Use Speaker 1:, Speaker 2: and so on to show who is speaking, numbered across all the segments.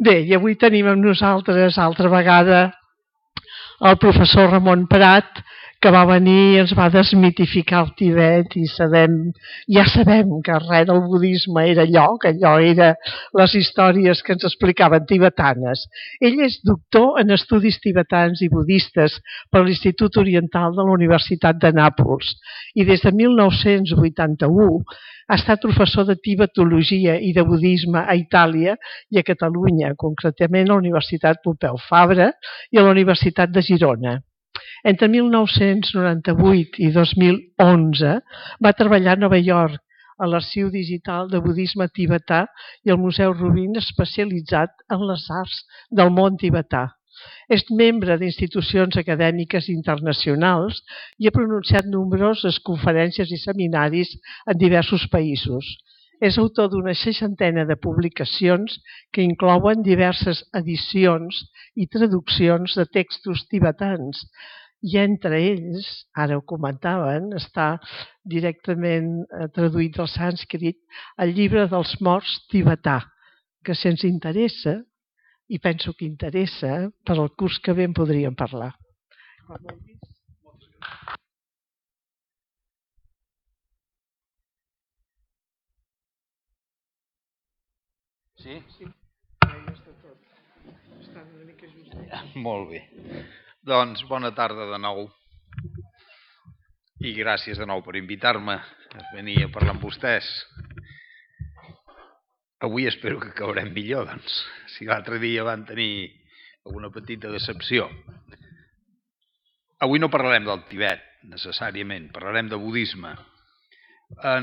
Speaker 1: Bé, i avui tenim amb nosaltres altra vegada el professor Ramon Prat, que va venir i ens va desmitificar el Tibet i ja sabem que res del budisme era allò, que allò era les històries que ens explicaven tibetanes. Ell és doctor en estudis tibetans i budistes per l'Institut Oriental de la Universitat de Nàpols i des de 1981 ha estat professor de tibetologia i de budisme a Itàlia i a Catalunya, concretament a la Universitat Pompeu Fabra i a la Universitat de Girona. Entre 1998 i 2011 va treballar a Nova York a l'Arxiu Digital de Budisme Tibetà i al Museu Rubin especialitzat en les arts del món tibetà. És membre d'institucions acadèmiques internacionals i ha pronunciat nombroses conferències i seminaris en diversos països. És autor d'una 60ena de publicacions que inclouen diverses edicions i traduccions de textos tibetans i entre ells, ara ho comentaven, està directament traduït al sànscrit el llibre dels morts tibetà, que si ens interessa, i penso que interessa, per al curs que ve en podríem parlar.
Speaker 2: Sí? Molt bé. Doncs bona tarda de nou. I gràcies de nou per invitar-me a venir a parlar amb vostès. Avui espero que acabarem millor, doncs. Si l'altre dia van tenir alguna petita decepció. Avui no parlarem del Tibet, necessàriament. Parlarem de budisme.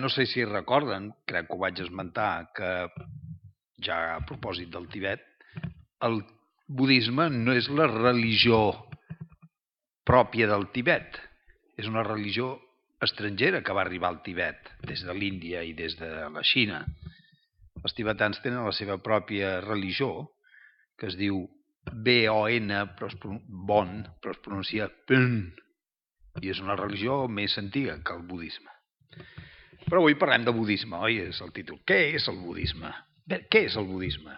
Speaker 2: No sé si recorden, crec que ho vaig esmentar, que ja a propòsit del Tibet, el budisme no és la religió pròpia del Tibet. És una religió estrangera que va arribar al Tibet, des de l'Índia i des de la Xina. Els tibetans tenen la seva pròpia religió, que es diu Bon, però es pronuncia Pön, i és una religió més antiga que el budisme. Però avui parlem de budisme, oi? És el títol. Què és el budisme? Bé, què és el budisme?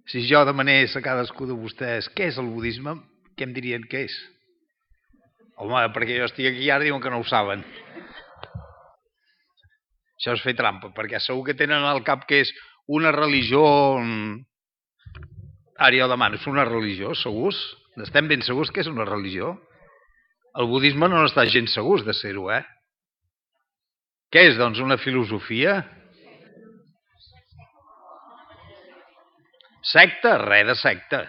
Speaker 2: Si jo demanés a cadascú de vostès què és el budisme, què em dirien que és? Home, perquè jo estic aquí i ara diuen que no ho saben. Això és fer trampa, perquè segur que tenen al cap que és una religió... Ara jo demano, és una religió, segurs? Estem ben segurs que és una religió? El budisme no està gens segurs de ser-ho, eh? Què és, doncs, una filosofia? Secta? Res de secta.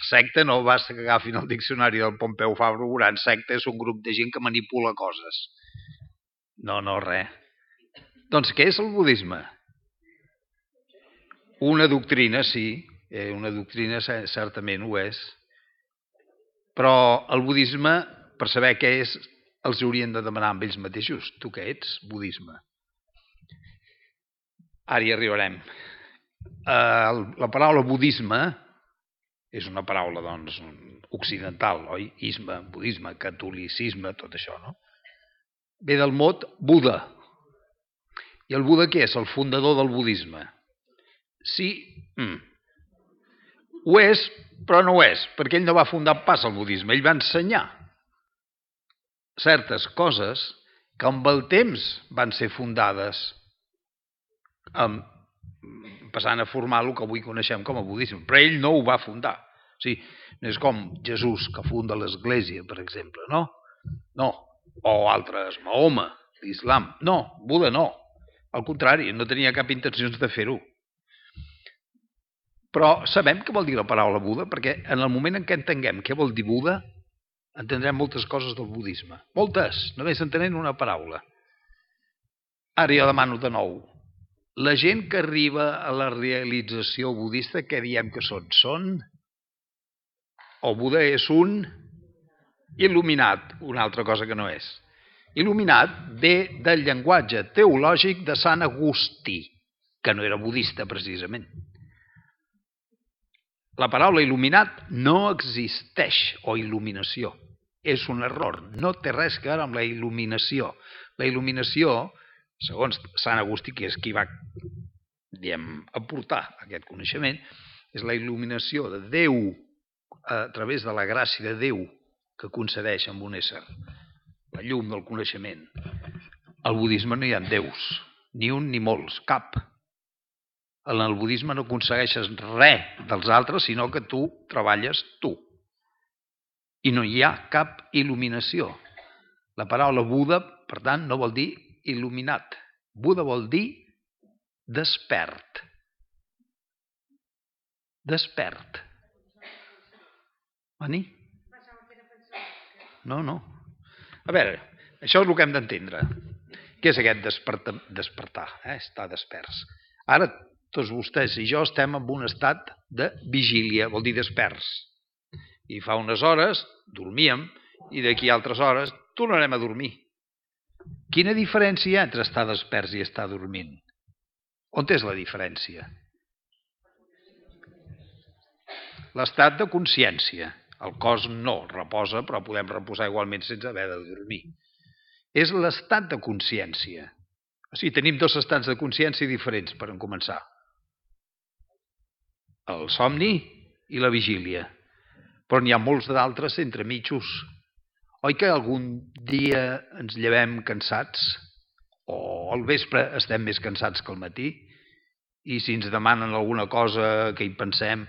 Speaker 2: Secta no basta que agafin el diccionari del Pompeu Fabra, veuran, secta és un grup de gent que manipula coses. No, res. Doncs què és el budisme? Una doctrina, sí, una doctrina certament ho és, però el budisme, per saber què és, els haurien de demanar amb ells mateixos. Tu què ets? Budisme. Ara hi arribarem. La paraula budisme és una paraula, doncs, occidental, oi? Isme, budisme, catolicisme, tot això, no? Ve del mot Buda. I el Buda què és? El fundador del budisme. Sí, ho és, però no ho és, perquè ell no va fundar pas el budisme, ell va ensenyar certes coses que amb el temps van ser fundades, passant a formar el que avui coneixem com a budisme, però ell no ho va fundar. O sigui, no és com Jesús, que funda l'Església, per exemple, no? No. O altres, Mahoma, l'Islam. No, Buda no. Al contrari, no tenia cap intenció de fer-ho. Però sabem què vol dir la paraula Buda, perquè en el moment en què entenguem què vol dir Buda, entendrem moltes coses del budisme. Moltes, només entenent una paraula. Ara jo demano de nou. La gent que arriba a la realització budista, què diem que són? Són... El Buda és un il·luminat, una altra cosa que no és. Il·luminat ve del llenguatge teològic de Sant Agustí, que no era budista precisament. La paraula il·luminat no existeix, o il·luminació. És un error, no té res a veure amb la il·luminació. La il·luminació, segons Sant Agustí, que és qui va aportar aquest coneixement, és la il·luminació de Déu a través de la gràcia de Déu que concedeix amb un ésser, la llum del coneixement. Al budisme no hi ha déus, ni un ni molts, cap. En el budisme no aconsegueixes res dels altres, sinó que tu treballes tu. I no hi ha cap il·luminació. La paraula Buda, per tant, no vol dir il·luminat. Buda vol dir despert. Despert. Venir? No. A veure, això és el que hem d'entendre. Què és aquest despertar? Estar desperts. Ara, tots vostès i jo estem en un estat de vigília, vol dir desperts. I fa unes hores dormíem i d'aquí altres hores tornarem a dormir. Quina diferència hi ha entre estar desperts i estar dormint? On és la diferència? L'estat de consciència. El cos no reposa, però podem reposar igualment sense haver de dormir. És l'estat de consciència. O sigui, tenim dos estats de consciència diferents, per començar. El somni i la vigília. Però n'hi ha molts d'altres entremitjos. Oi que algun dia ens llevem cansats? O al vespre estem més cansats que al matí? I si ens demanen alguna cosa que hi pensem,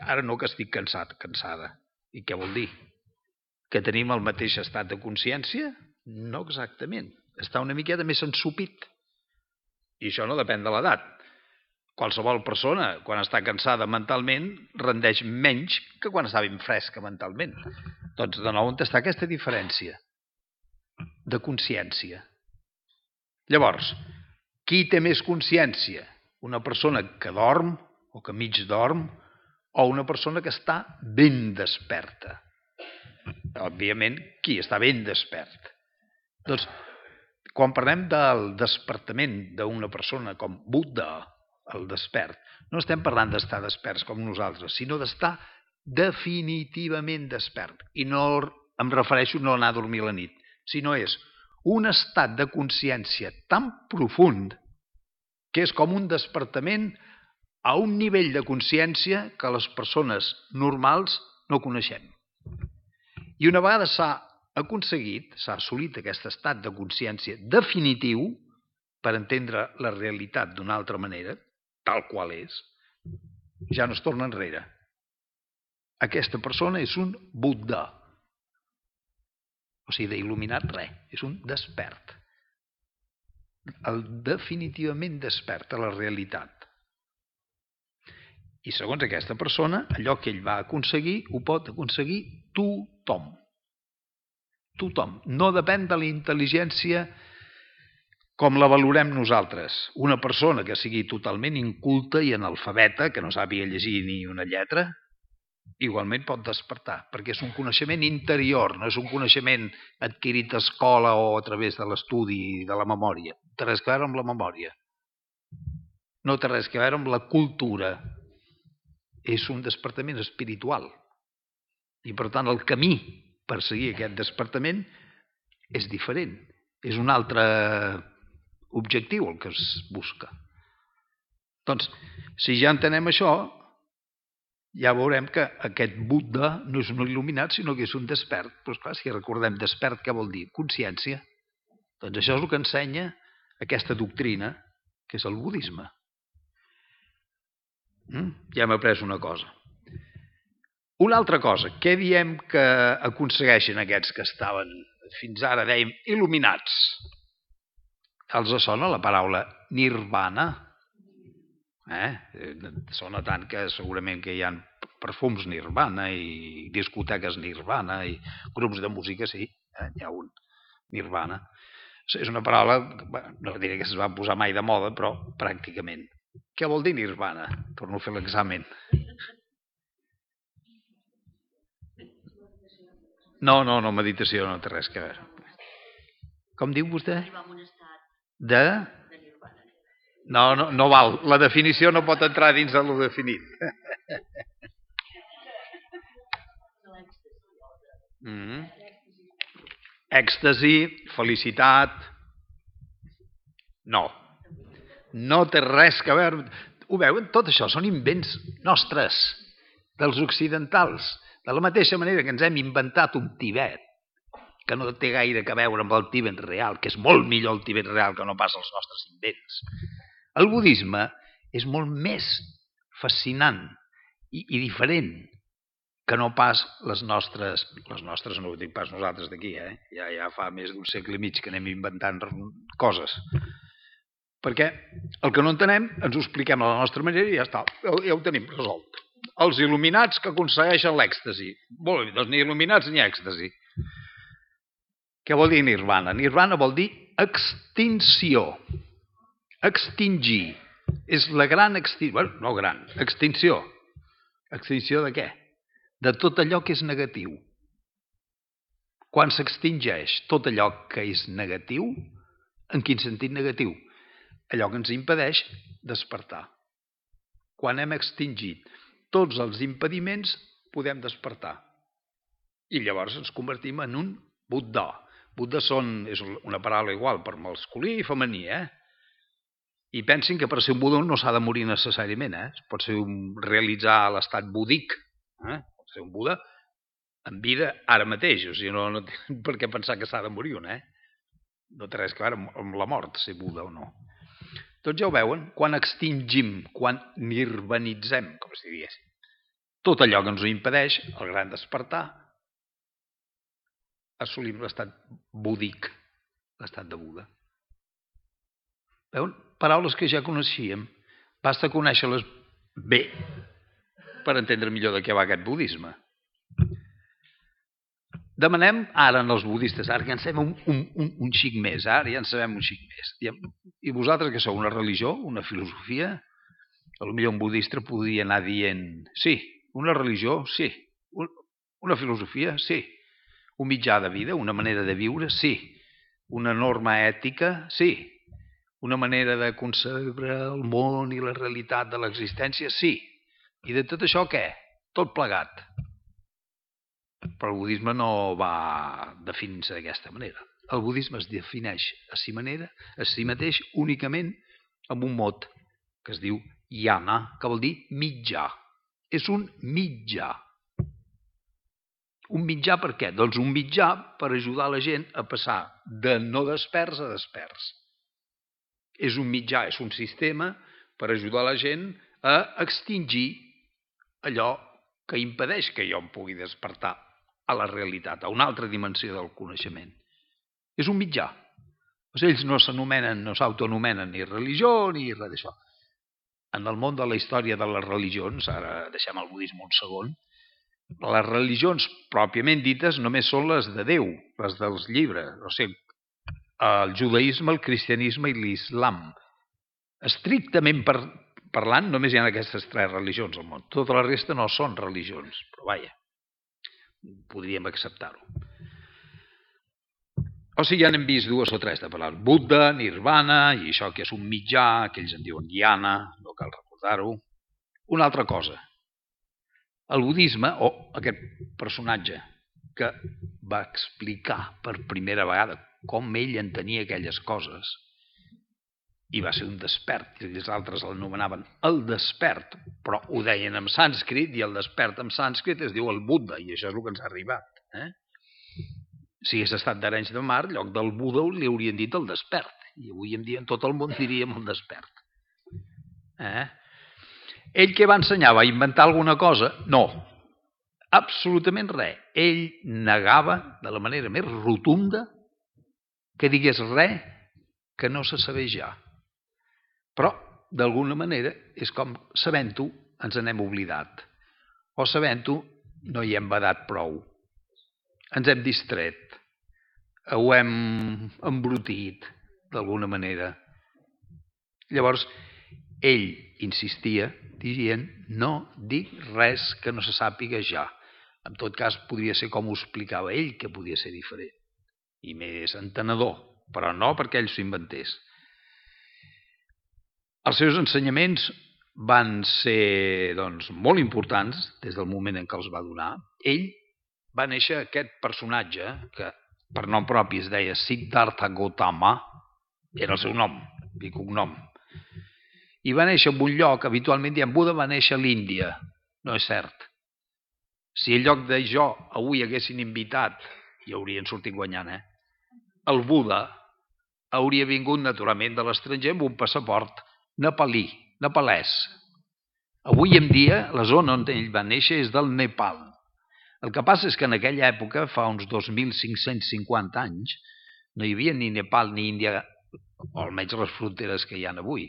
Speaker 2: ara no que estic cansat, cansada. I què vol dir? Que tenim el mateix estat de consciència? No exactament. Està una miqueta més ensupit. I això no depèn de l'edat. Qualsevol persona, quan està cansada mentalment, rendeix menys que quan està ben fresca mentalment. Doncs de nou on està aquesta diferència de consciència. Llavors, qui té més consciència? Una persona que dorm o que mig dorm o una persona que està ben desperta? Òbviament, qui està ben despert? Doncs, quan parlem del despertament d'una persona com Buda, el despert, no estem parlant d'estar desperts com nosaltres, sinó d'estar definitivament despert. I no em refereixo a no anar a dormir a la nit, sinó és un estat de consciència tan profund que és com un despertament a un nivell de consciència que les persones normals no coneixem. I una vegada s'ha assolit aquest estat de consciència definitiu, per entendre la realitat d'una altra manera, tal qual és, ja no es torna enrere. Aquesta persona és un Buda. O sigui, d'il·luminat res, és un despert. El definitivament despert a la realitat. I segons aquesta persona, allò que ell va aconseguir, ho pot aconseguir tothom. Tothom. No depèn de la intel·ligència com la valorem nosaltres. Una persona que sigui totalment inculta i analfabeta, que no sàpiga llegir ni una lletra, igualment pot despertar, perquè és un coneixement interior, no és un coneixement adquirit a escola o a través de l'estudi i de la memòria. No té res a veure amb la memòria. No té res a veure amb la cultura. És un despertament espiritual. I per tant el camí per seguir aquest despertament és diferent. És un altre objectiu el que es busca. Doncs, si ja entenem això, ja veurem que aquest Buda no és un il·luminat, sinó que és un despert. Però clar, si recordem despert, què vol dir? Consciència. Doncs això és el que ensenya aquesta doctrina, que és el budisme. Ja hem après una cosa. Una altra cosa, què diem que aconsegueixen aquests que estaven fins ara, dèiem, il·luminats? Els sona la paraula nirvana? Sona tant que segurament que hi ha perfums nirvana i discoteques nirvana i grups de música, sí, hi ha un nirvana. És una paraula, no diré que es va posar mai de moda, però pràcticament. Què vol dir nirvana? Torno a fer l'examen. No, meditació no té res a veure. Com diu vostè? De? No val. La definició no pot entrar dins de lo definit. Èxtasi, felicitat... No. No té res a veure... Ho veuen? Tot això són invents nostres, dels occidentals. De la mateixa manera que ens hem inventat un Tibet, que no té gaire a veure amb el Tibet real, que és molt millor el Tibet real que no pas els nostres invents. El budisme és molt més fascinant i diferent que no pas les nostres no ho dic pas nosaltres d'aquí, ja fa més d'un segle i mig que anem inventant coses. Perquè el que no entenem ens ho expliquem a la nostra manera i ja està, ja ho tenim resolt. Els il·luminats que aconsegueixen l'èxtasi. Molt bé, doncs ni il·luminats ni èxtasi. Què vol dir nirvana? Nirvana vol dir extinció. Extingir. És la gran extinció. Bueno, no gran, extinció. Extinció de què? De tot allò que és negatiu. Quan s'extingeix tot allò que és negatiu, en quin sentit negatiu? Allò que ens impedeix despertar. Quan hem extingit tots els impediments, podem despertar. I llavors ens convertim en un Buddha. Buddha és una paraula igual per masculí i femení, I pensin que per ser un Buddha no s'ha de morir necessàriament, Pot ser realitzar l'estat búdic, Pot ser un Buddha en vida ara mateix, o sigui, no té per què pensar que s'ha de morir un, No té res a veure amb la mort, ser Buddha o no. Tots ja ho veuen, quan extingim, quan nirvanitzem, com si digués, tot allò que ens ho impedeix, el gran despertar, assolim l'estat búdic, l'estat de Buda. Veuen? Paraules que ja coneixíem. Basta conèixer-les bé per entendre millor de què va aquest budisme. Demanem ara als budistes, ara ja en sabem un xic més, I vosaltres que sou una religió, una filosofia, potser un budista podria anar dient, sí, una religió, sí, una filosofia, sí, un mitjà de vida, una manera de viure, sí, una norma ètica, sí, una manera de concebre el món i la realitat de l'existència, sí. I de tot això què? Tot plegat. Però el budisme no va definir-se d'aquesta manera. El budisme es defineix a si mateix únicament amb un mot que es diu yana, que vol dir mitjà. És un mitjà. Un mitjà per què? Doncs un mitjà per ajudar la gent a passar de no desperts a desperts. És un mitjà, és un sistema per ajudar la gent a extingir allò que impedeix que jo em pugui despertar a la realitat, a una altra dimensió del coneixement. És un mitjà. Ells no s'autoanomenen ni religió ni res d'això. En el món de la història de les religions, ara deixem el budisme un segon, les religions pròpiament dites només són les de Déu, les dels llibres, o sigui, el judaïsme, el cristianisme i l'islam. Estrictament parlant, només hi ha aquestes 3 religions al món. Tota la resta no són religions, però vaja, podríem acceptar-ho. O sigui, ja n'hem vist 2 o 3 de parlar. Buddha, Nirvana, i això que és un mitjà, que ells en diuen Jnana, no cal recordar-ho. Una altra cosa. El budisme, o aquest personatge que va explicar per primera vegada com ell entenia aquelles coses, i va ser un despert, i els altres l'anomenaven el despert, però ho deien en sànscrit, i el despert en sànscrit es diu el Buddha, i això és el que ens ha arribat. Si hagués estat d'Arenys de Mar, en lloc del Buddha li haurien dit el despert, i avui en dia en tot el món diríem el despert. Ell què va ensenyar? Va inventar alguna cosa? No, absolutament res. Ell negava de la manera més rotunda que digués res que no se sabés ja. Però, d'alguna manera, és com sabent-ho ens n'hem oblidat. O sabent-ho no hi hem badat prou. Ens hem distret. Ho hem embrutit, d'alguna manera. Llavors, ell insistia dient no dic res que no se sàpiga ja. En tot cas, podria ser com ho explicava ell, que podia ser diferent i més entenedor, però no perquè ell s'ho inventés. Els seus ensenyaments van ser molt importants des del moment en què els va donar. Ell va néixer aquest personatge que per nom propi es deia Siddhartha Gautama, era el seu nom i cognom. I va néixer en un lloc, habitualment diem Buda va néixer a l'Índia. No és cert. Si en lloc de jo avui haguessin invitat, i haurien sortit guanyant, el Buda hauria vingut naturalment de l'estranger amb un passaport nepalès. Avui en dia, la zona on ell va néixer és del Nepal. El que passa és que en aquella època, fa uns 2.550 anys, no hi havia ni Nepal ni Índia, o almenys les fronteres que hi ha avui.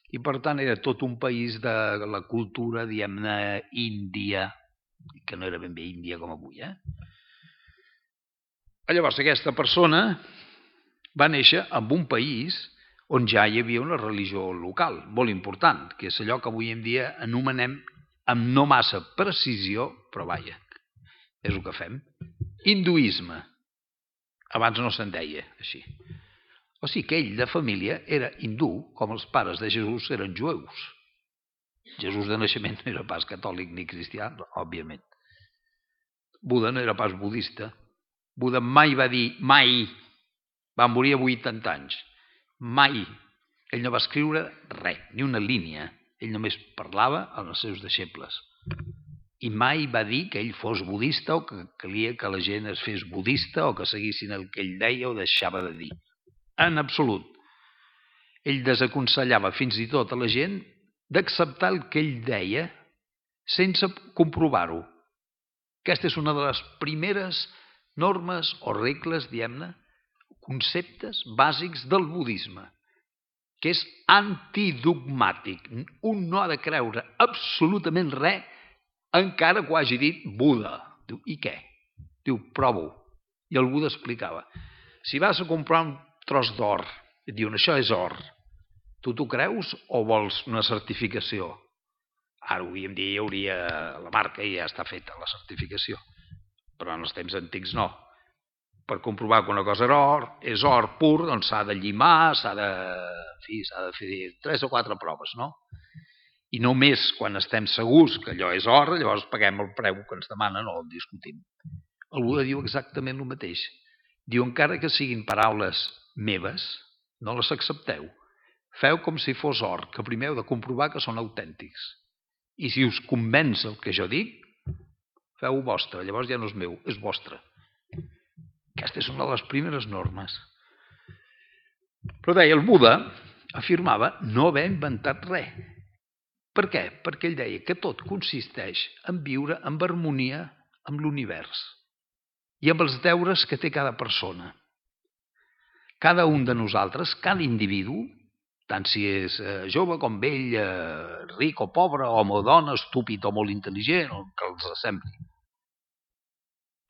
Speaker 2: I per tant era tot un país de la cultura, diguem-ne, índia, que no era ben bé Índia com avui. Llavors aquesta persona va néixer en un país on ja hi havia una religió local, molt important, que és allò que avui en dia anomenem amb no massa precisió, però vaja, és el que fem, hinduisme. Abans no se'n deia així. O sigui que ell, de família, era hindú, com els pares de Jesús eren jueus. Jesús de naixement no era pas catòlic ni cristià, òbviament. Buda no era pas budista. Buda mai va dir, mai, va morir a 80 anys, mai. Ell no va escriure res, ni una línia. Ell només parlava amb els seus deixebles. I mai va dir que ell fos budista o que calia que la gent es fes budista o que seguissin el que ell deia o deixava de dir. En absolut. Ell desaconsellava fins i tot a la gent d'acceptar el que ell deia sense comprovar-ho. Aquesta és una de les primeres normes o regles, diguem-ne, conceptes bàsics del budisme, que és antidogmàtic. Un no ha de creure absolutament res encara que ho hagi dit Buda. Diu, i què? Diu, prova-ho. I el Buda explicava. Si vas a comprar un tros d'or, et diuen, això és or. Tu t'ho creus o vols una certificació? Ara avui en dia hi hauria la marca i ja està feta la certificació. Però en els temps antics no. Per comprovar que una cosa és or pur, doncs s'ha de llimar, s'ha de fer 3 o 4 proves, no? I només quan estem segurs que allò és or, llavors paguem el preu que ens demanen o el discutim. El Buda diu exactament el mateix. Diu, encara que siguin paraules meves, no les accepteu. Feu com si fos or, que primer heu de comprovar que són autèntics. I si us convenç el que jo dic, feu-ho vostre, llavors ja no és meu, és vostre. Aquesta és una de les primeres normes. Però deia, el Buda afirmava no haver inventat res. Per què? Perquè ell deia que tot consisteix en viure en harmonia amb l'univers i amb els deures que té cada persona. Cada un de nosaltres, cada individu, tant si és jove com vell, ric o pobre, home o dona, estúpid o molt intel·ligent, o que els sembli.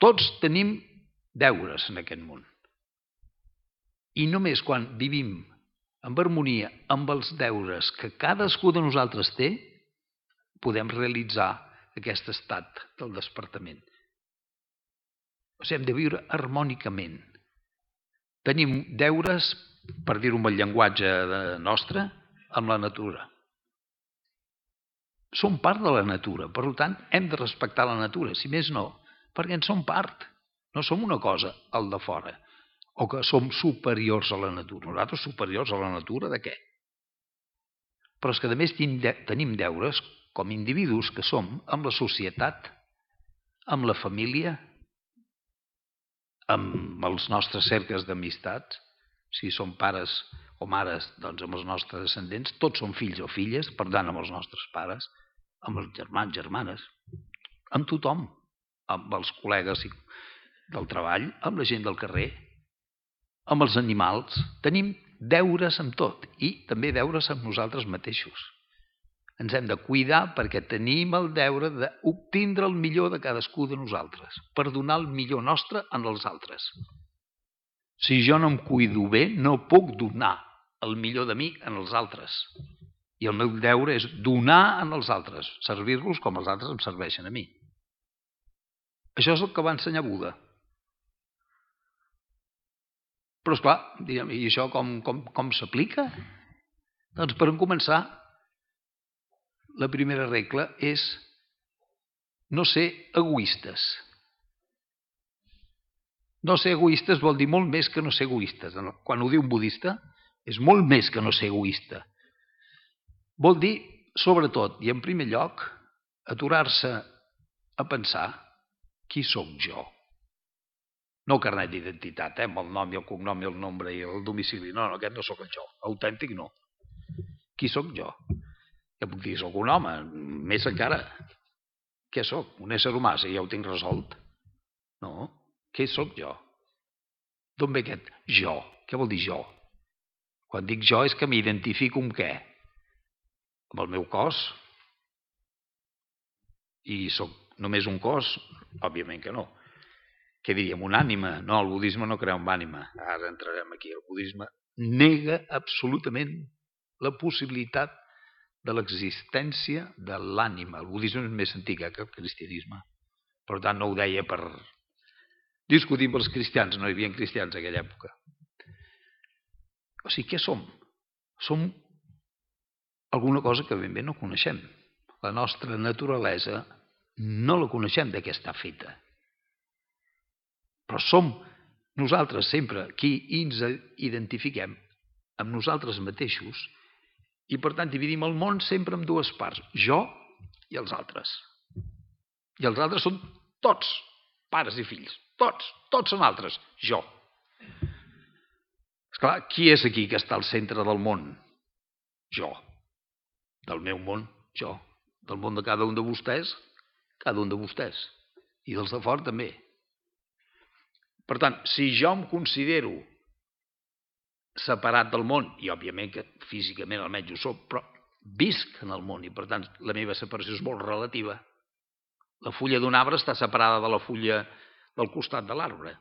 Speaker 2: Tots tenim deures en aquest món. I només quan vivim en harmonia amb els deures que cadascú de nosaltres té, podem realitzar aquest estat del despertament. O sigui, hem de viure harmònicament. Tenim deures, per dir-ho amb el llenguatge nostre, amb la natura. Som part de la natura, per tant, hem de respectar la natura, si més no, perquè en som part. No som una cosa al de fora, o que som superiors a la natura. Nosaltres superiors a la natura de què? Però és que a més tenim deures com individus que som amb la societat, amb la família, amb els nostres cercles d'amistats, si som pares o mares, doncs amb els nostres descendents, tots som fills o filles, per tant amb els nostres pares, amb els germans, germanes, amb tothom, amb els col·legues del treball, amb la gent del carrer, amb els animals. Tenim deures amb tot i també deures amb nosaltres mateixos. Ens hem de cuidar perquè tenim el deure d'obtindre el millor de cadascú de nosaltres, per donar el millor nostre als altres. Si jo no em cuido bé, no puc donar el millor de mi als altres. I el meu deure és donar als altres, servir-los com els altres em serveixen a mi. Això és el que va ensenyar Buda. Però esclar, direm, i això com s'aplica? Doncs per començar, la primera regla és no ser egoistes. No ser egoistes vol dir molt més que no ser egoistes. Quan ho diu un budista, és molt més que no ser egoista. Vol dir, sobretot, i en primer lloc, aturar-se a pensar qui sóc jo. No carnet d'identitat, amb el nom i el cognom i el nombre i el domicili. No, aquest no sóc el jo. Autèntic no. Qui sóc jo? Ja puc dir, sóc un home, més encara. Què sóc? Un ésser humà, si ja ho tinc resolt? No. Què sóc jo? D'on ve aquest jo? Què vol dir jo? Quan dic jo és que m'identifico amb què? Amb el meu cos? I sóc només un cos? Òbviament que no. Què diríem? Una ànima? No, el budisme no crea una ànima. Ara entrarem aquí. El budisme nega absolutament la possibilitat de l'existència de l'ànima. El budisme és més antic que el cristianisme. Per tant, no ho deia per discutir amb els cristians. No hi havia cristians en aquella època. O sigui, què som? Som alguna cosa que ben bé no coneixem. La nostra naturalesa no la coneixem de què està feta. Però som nosaltres sempre qui ens identifiquem amb nosaltres mateixos i, per tant, dividim el món sempre en dues parts, jo i els altres. I els altres són tots, pares i fills, tots són altres, jo. Esclar, qui és aquí que està al centre del món? Jo. Del meu món, jo. Del món de cada un de vostès, cada un de vostès. I dels de fora també. Per tant, si jo em considero separat del món, i òbviament que físicament almenys ho soc, però visc en el món i per tant la meva separació és molt relativa. La fulla d'un arbre està separada de la fulla del costat de l'arbre,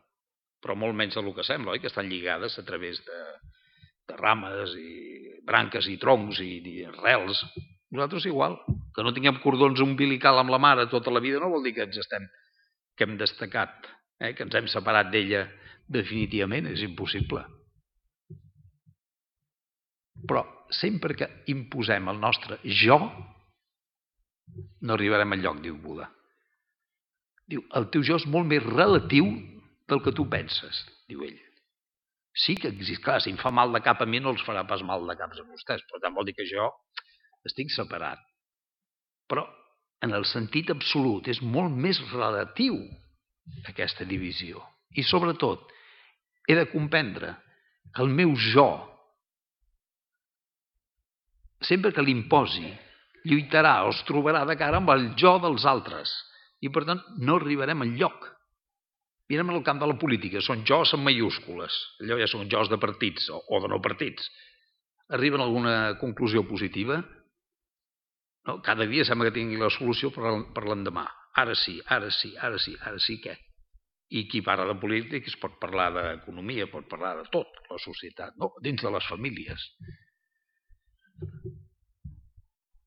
Speaker 2: però molt menys del que sembla, oi? Que estan lligades a través de rames i branques i troncs i arrels. Nosaltres igual, que no tinguem cordons umbilical amb la mare tota la vida no vol dir que hem destacat, que ens hem separat d'ella definitivament, és impossible. Però sempre que imposem el nostre jo, no arribarem al lloc, diu Buda. Diu, el teu jo és molt més relatiu del que tu penses, diu ell. Sí que existe, clar, si em fa mal de cap a mi no els farà pas mal de caps a vostès, però tant vol dir que jo estic separat. Però en el sentit absolut és molt més relatiu aquesta divisió. I sobretot he de comprendre que el meu jo, sempre que l'imposi, lluitarà o es trobarà de cara amb el jo dels altres. I per tant no arribarem enlloc. Mirem en el camp de la política, són jos en majúscules. Allò ja són jos de partits o de no partits. Arriben a alguna conclusió positiva? No, cada dia sembla que tingui la solució per l'endemà. Ara sí, què? I qui parla de política es pot parlar d'economia, pot parlar de tot, la societat, no? Dins de les famílies.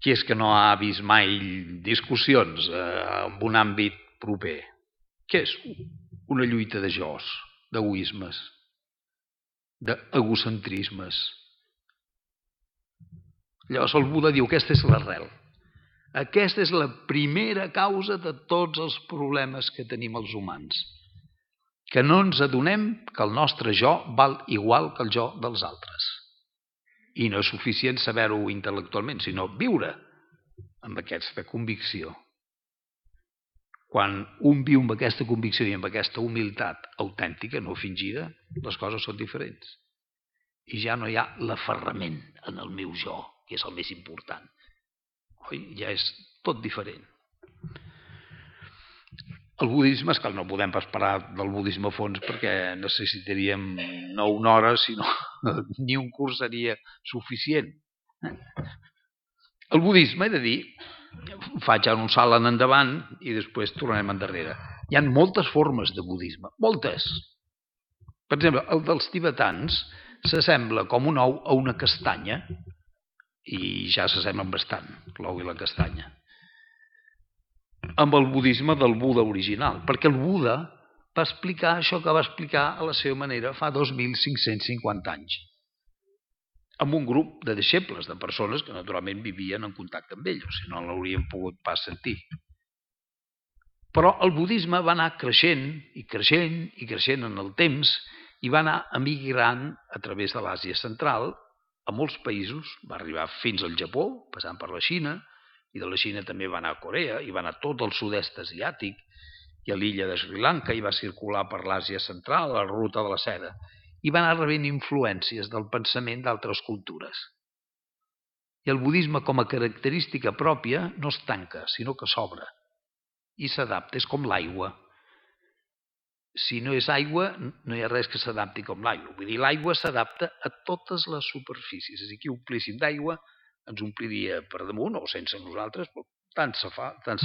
Speaker 2: Qui és que no ha vist mai discussions en un àmbit proper? Què és? Una lluita de jos, d'egoismes, d'egocentrismes. Llavors el Buda diu, aquesta és l'arrel. Aquesta és la primera causa de tots els problemes que tenim els humans. Que no ens adonem que el nostre jo val igual que el jo dels altres. I no és suficient saber-ho intel·lectualment, sinó viure amb aquesta convicció. Quan un viu amb aquesta convicció i amb aquesta humilitat autèntica, no fingida, les coses són diferents. I ja no hi ha l'aferrament en el meu jo, que és el més important. Ja és tot diferent. El budisme, és que no podem pas parlar del budisme a fons perquè necessitaríem no una hora, sinó ni un curs seria suficient. El budisme, he de dir, faig ara un salt en endavant i després tornarem endarrere. Hi ha moltes formes de budisme, moltes. Per exemple, el dels tibetans s'assembla com un ou a una castanya i ja s'assemblen bastant, l'ou i la castanya, amb el budisme del Buda original, perquè el Buda va explicar això que va explicar a la seva manera fa 2.550 anys, amb un grup de deixebles, de persones que naturalment vivien en contacte amb ell, o si no l'haurien pogut pas sentir. Però el budisme va anar creixent i creixent i creixent en el temps i va anar emigrant a través de l'Àsia Central a molts països, va arribar fins al Japó, passant per la Xina, i de la Xina també va anar a Corea, i va anar a tot el sud-est asiàtic, i a l'illa de Sri Lanka, i va circular per l'Àsia central, a la ruta de la seda, i va anar rebent influències del pensament d'altres cultures. I el budisme, com a característica pròpia, no es tanca, sinó que s'obre i s'adapta, és com l'aigua. Si no és aigua, no hi ha res que s'adapti com l'aigua. Vull dir, l'aigua s'adapta a totes les superfícies. És a dir, que omplíssim d'aigua, ens ompliria per damunt o sense nosaltres, però tant se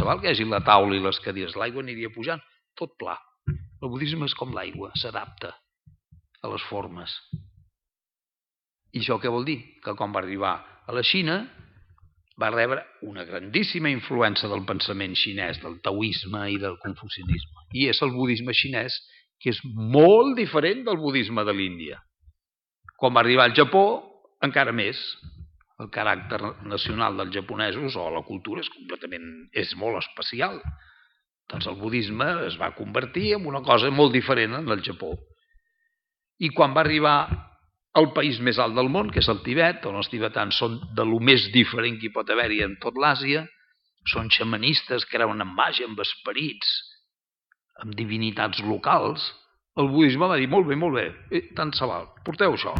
Speaker 2: val que hi hagi la taula i les cadires. L'aigua aniria pujant, tot pla. El budisme és com l'aigua, s'adapta a les formes. I això què vol dir? Que quan va arribar a la Xina va rebre una grandíssima influència del pensament xinès, del taoisme i del confucianisme. I és el budisme xinès, que és molt diferent del budisme de l'Índia. Quan va arribar al Japó, encara més. El caràcter nacional dels japonesos o la cultura és molt especial. Doncs el budisme es va convertir en una cosa molt diferent en el Japó. I quan va arribar al país més alt del món, que és el Tibet, on els tibetans són de lo més diferent que hi pot haver-hi en tot l'Àsia, són xamanistes, creuen en màgia, en esperits, amb divinitats locals, el budisme va dir, molt bé, tant se val, porteu això,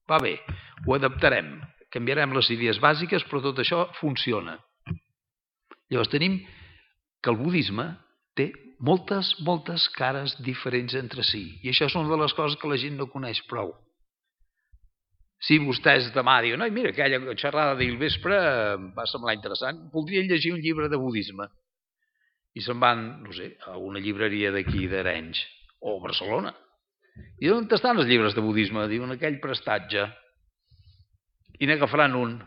Speaker 2: va bé, ho adaptarem, canviarem les idees bàsiques, però tot això funciona. Llavors tenim que el budisme té moltes cares diferents entre si, i això és una de les coses que la gent no coneix prou. Si vostès demà diuen, mira, aquella xerrada d'ahir al vespre em va semblar interessant, voldrien llegir un llibre de budisme. I se'n van, no sé, a una llibreria d'aquí d'Arenys, o a Barcelona. I on estan els llibres de budisme? Diuen, aquell prestatge. I n'agafaran un.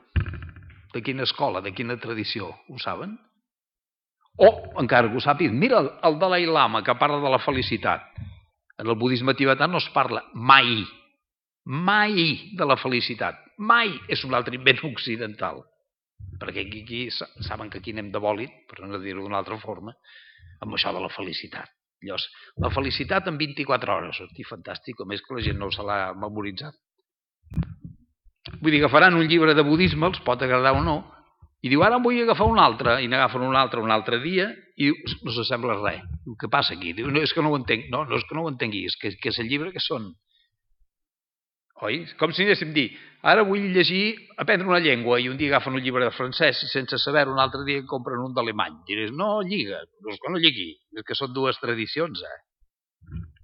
Speaker 2: De quina escola, de quina tradició? Ho saben? O, encara que ho sàpiguen, mira el Dalai Lama, que parla de la felicitat. En el budisme tibetà no es parla mai de la felicitat. Mai és un altre invent occidental. Perquè aquí saben que aquí anem de bòlit, per no dir-ho d'una altra forma, amb això de la felicitat. Llavors, la felicitat en 24 hores. Hosti, fantàstic, a més que la gent no se l'ha memoritzat. Vull dir, agafaran un llibre de budisme, els pot agradar o no, i diu, ara en vull agafar un altre, i n'agafen un altre dia, i no s'assembla res. Diu, què passa aquí? Diu, no, és que no ho entenc. No, és que no ho entengui, és que és el llibre que són. Oi? Com si anéssim a dir, ara vull aprendre una llengua, i un dia agafen un llibre de francès i sense saber un altre dia compren un d'alemany. Diràs, no lliga, però és que no lligui, és que són dues tradicions.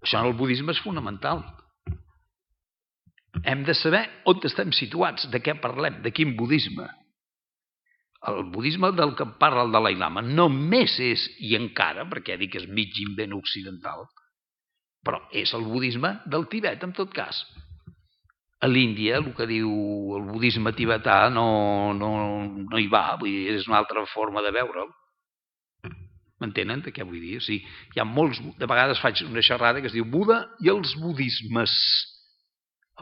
Speaker 2: Això en el budisme és fonamental. Hem de saber on estem situats, de què parlem, de quin budisme. El budisme del que parla el Dalai Lama només és, i encara, perquè dic que és mig invent occidental, però és el budisme del Tibet, en tot cas. A l'Índia, el que diu el budisme tibetà no hi va, vull dir, és una altra forma de veure'l. M'entenen de què vull dir? O sigui, hi ha molts, de vegades faig una xerrada que es diu Buda i els budismes,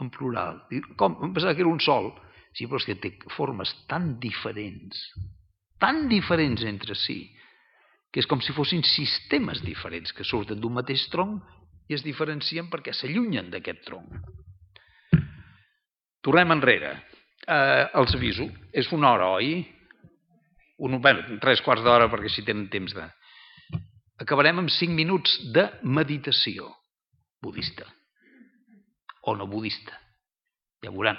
Speaker 2: en plural. Com? Em pensava que era un sol. Sí, però és que té formes tan diferents entre si, que és com si fossin sistemes diferents que surten d'un mateix tronc i es diferencien perquè s'allunyen d'aquest tronc. Tornem enrere. Els aviso. És una hora, oi? 3/4 d'hora perquè si tenen temps de... Acabarem amb 5 minuts de meditació budista. O no budista. Ja veuran.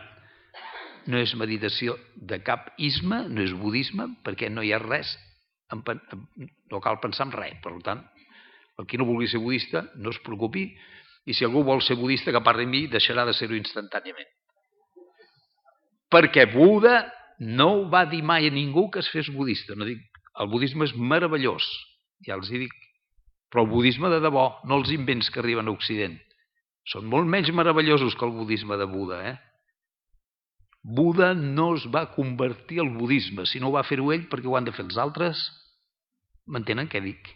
Speaker 2: No és meditació de cap isme, no és budisme, perquè no hi ha res, no cal pensar en res. Per tant, el qui no vulgui ser budista, no es preocupi, i si algú vol ser budista, que parli amb mi, deixarà de ser-ho instantàniament. Perquè Buda no va dir mai a ningú que es fes budista. No dic, el budisme és meravellós, ja els hi dic, però el budisme de debò, no els invents que arriben a Occident, són molt menys meravellosos que el budisme de Buda. Buda no es va convertir al budisme, si no ho va fer-ho ell perquè ho han de fer els altres. M'entenen què dic?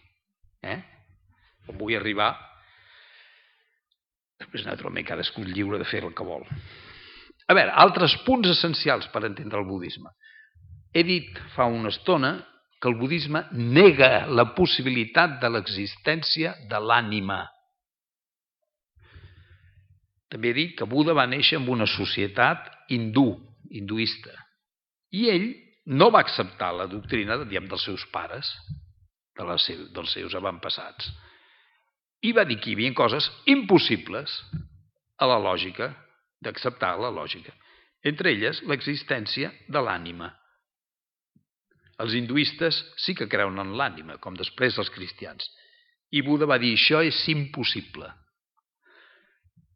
Speaker 2: On vull arribar? Després, naturalment, cadascú és lliure de fer el que vol. A veure, altres punts essencials per entendre el budisme. He dit fa una estona que el budisme nega la possibilitat de l'existència de l'ànima. També he dit que Buda va néixer en una societat hindú, hinduista. I ell no va acceptar la doctrina dels seus pares, dels seus avantpassats. I va dir que hi havia coses impossibles a la lògica, d'acceptar la lògica. Entre elles, l'existència de l'ànima. Els hinduistes sí que creuen en l'ànima, com després els cristians. I Buda va dir, això és impossible.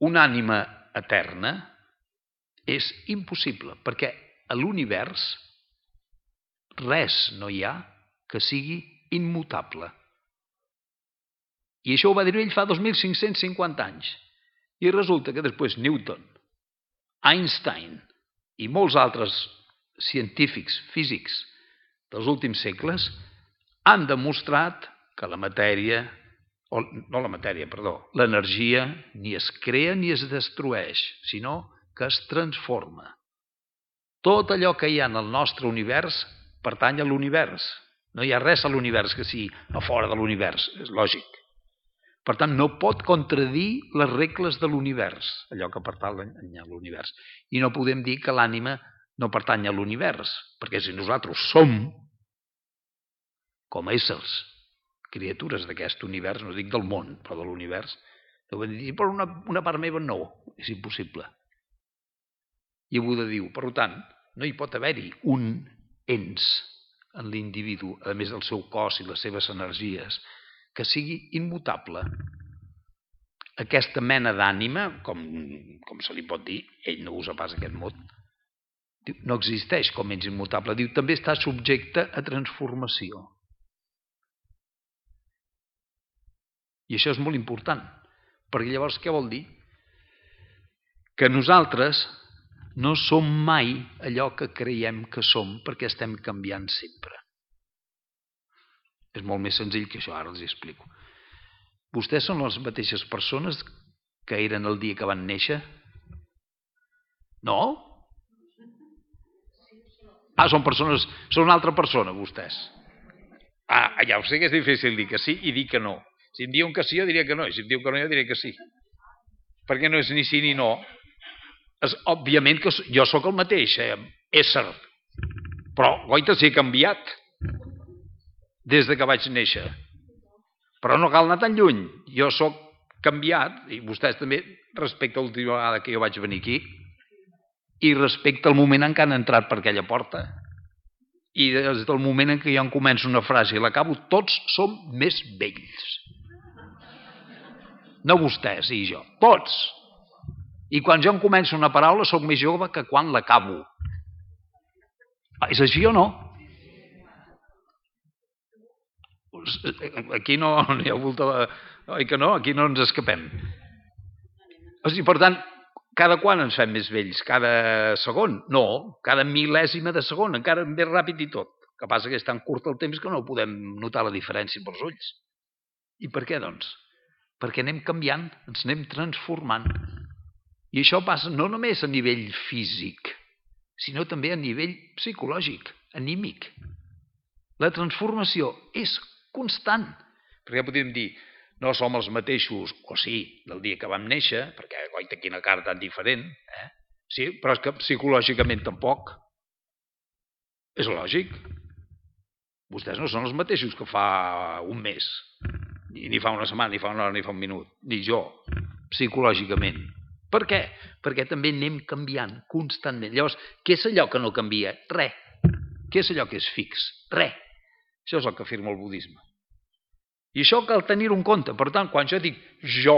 Speaker 2: Una ànima eterna és impossible, perquè a l'univers res no hi ha que sigui immutable. I això ho va dir ell fa 2.550 anys. I resulta que després Newton, Einstein i molts altres científics, físics dels últims segles han demostrat que l'energia ni es crea ni es destrueix, sinó que es transforma. Tot allò que hi ha en el nostre univers pertany a l'univers. No hi ha res a l'univers que sigui a fora de l'univers, és lògic. Per tant, no pot contradir les regles de l'univers, allò que pertany a l'univers. I no podem dir que l'ànima no pertany a l'univers, perquè si nosaltres som, com a éssers, criatures d'aquest univers, no dic del món, però de l'univers, no podem dir, però una part meva no, és impossible. I Buda diu, per tant, no hi pot haver-hi un ens en l'individu, a més del seu cos i les seves energies, que sigui immutable. Aquesta mena d'ànima, com se li pot dir, ell no usa pas aquest mot, no existeix com ens immutable. Diu, també està subjecte a transformació. I això és molt important, perquè llavors què vol dir? Que nosaltres no som mai allò que creiem que som, perquè estem canviant sempre. És molt més senzill que això, ara els explico. Vostès són les mateixes persones que eren el dia que van néixer? No? Són una altra persona, vostès. Ja ho sé que és difícil dir que sí i dir que no. Si em diuen que sí, jo diria que no, i si em diuen que no, jo diria que sí. Perquè no és ni sí ni no. Òbviament que jo sóc el mateix ésser, però goita si he canviat des de que vaig néixer. Però no cal anar tan lluny. Jo sóc canviat, i vostès també, respecte a l'última vegada que jo vaig venir aquí, i respecte al moment en què han entrat per aquella porta. I des del moment en què jo em començo una frase i l'acabo, tots som més vells. No vostès i jo, tots. I quan jo em començo una paraula sóc més jove que quan l'acabo. És així o no? Aquí no hi ha volta... Oi que no? Aquí no ens escapem. Per tant, cada quan ens fem més vells? Cada segon? No, cada mil·lèsima de segon, encara més ràpid i tot. El que passa que és tan curt el temps que no podem notar la diferència pels ulls. I per què, doncs? Perquè anem canviant, ens anem transformant. I això passa no només a nivell físic, sinó també a nivell psicològic, anímic. La transformació és constant. Perquè podríem dir, no som els mateixos, o sí, del dia que vam néixer, perquè goita quina cara tan diferent, sí, però és que psicològicament tampoc. És lògic. Vostès no són els mateixos que fa un mes, ni fa una setmana, ni fa una hora, ni fa un minut, ni jo, psicològicament. Per què? Perquè també anem canviant constantment. Llavors, què és allò que no canvia? Res. Què és allò que és fix? Res. Això és el que afirma el budisme. I això cal tenir-ho en compte. Per tant, quan jo dic jo,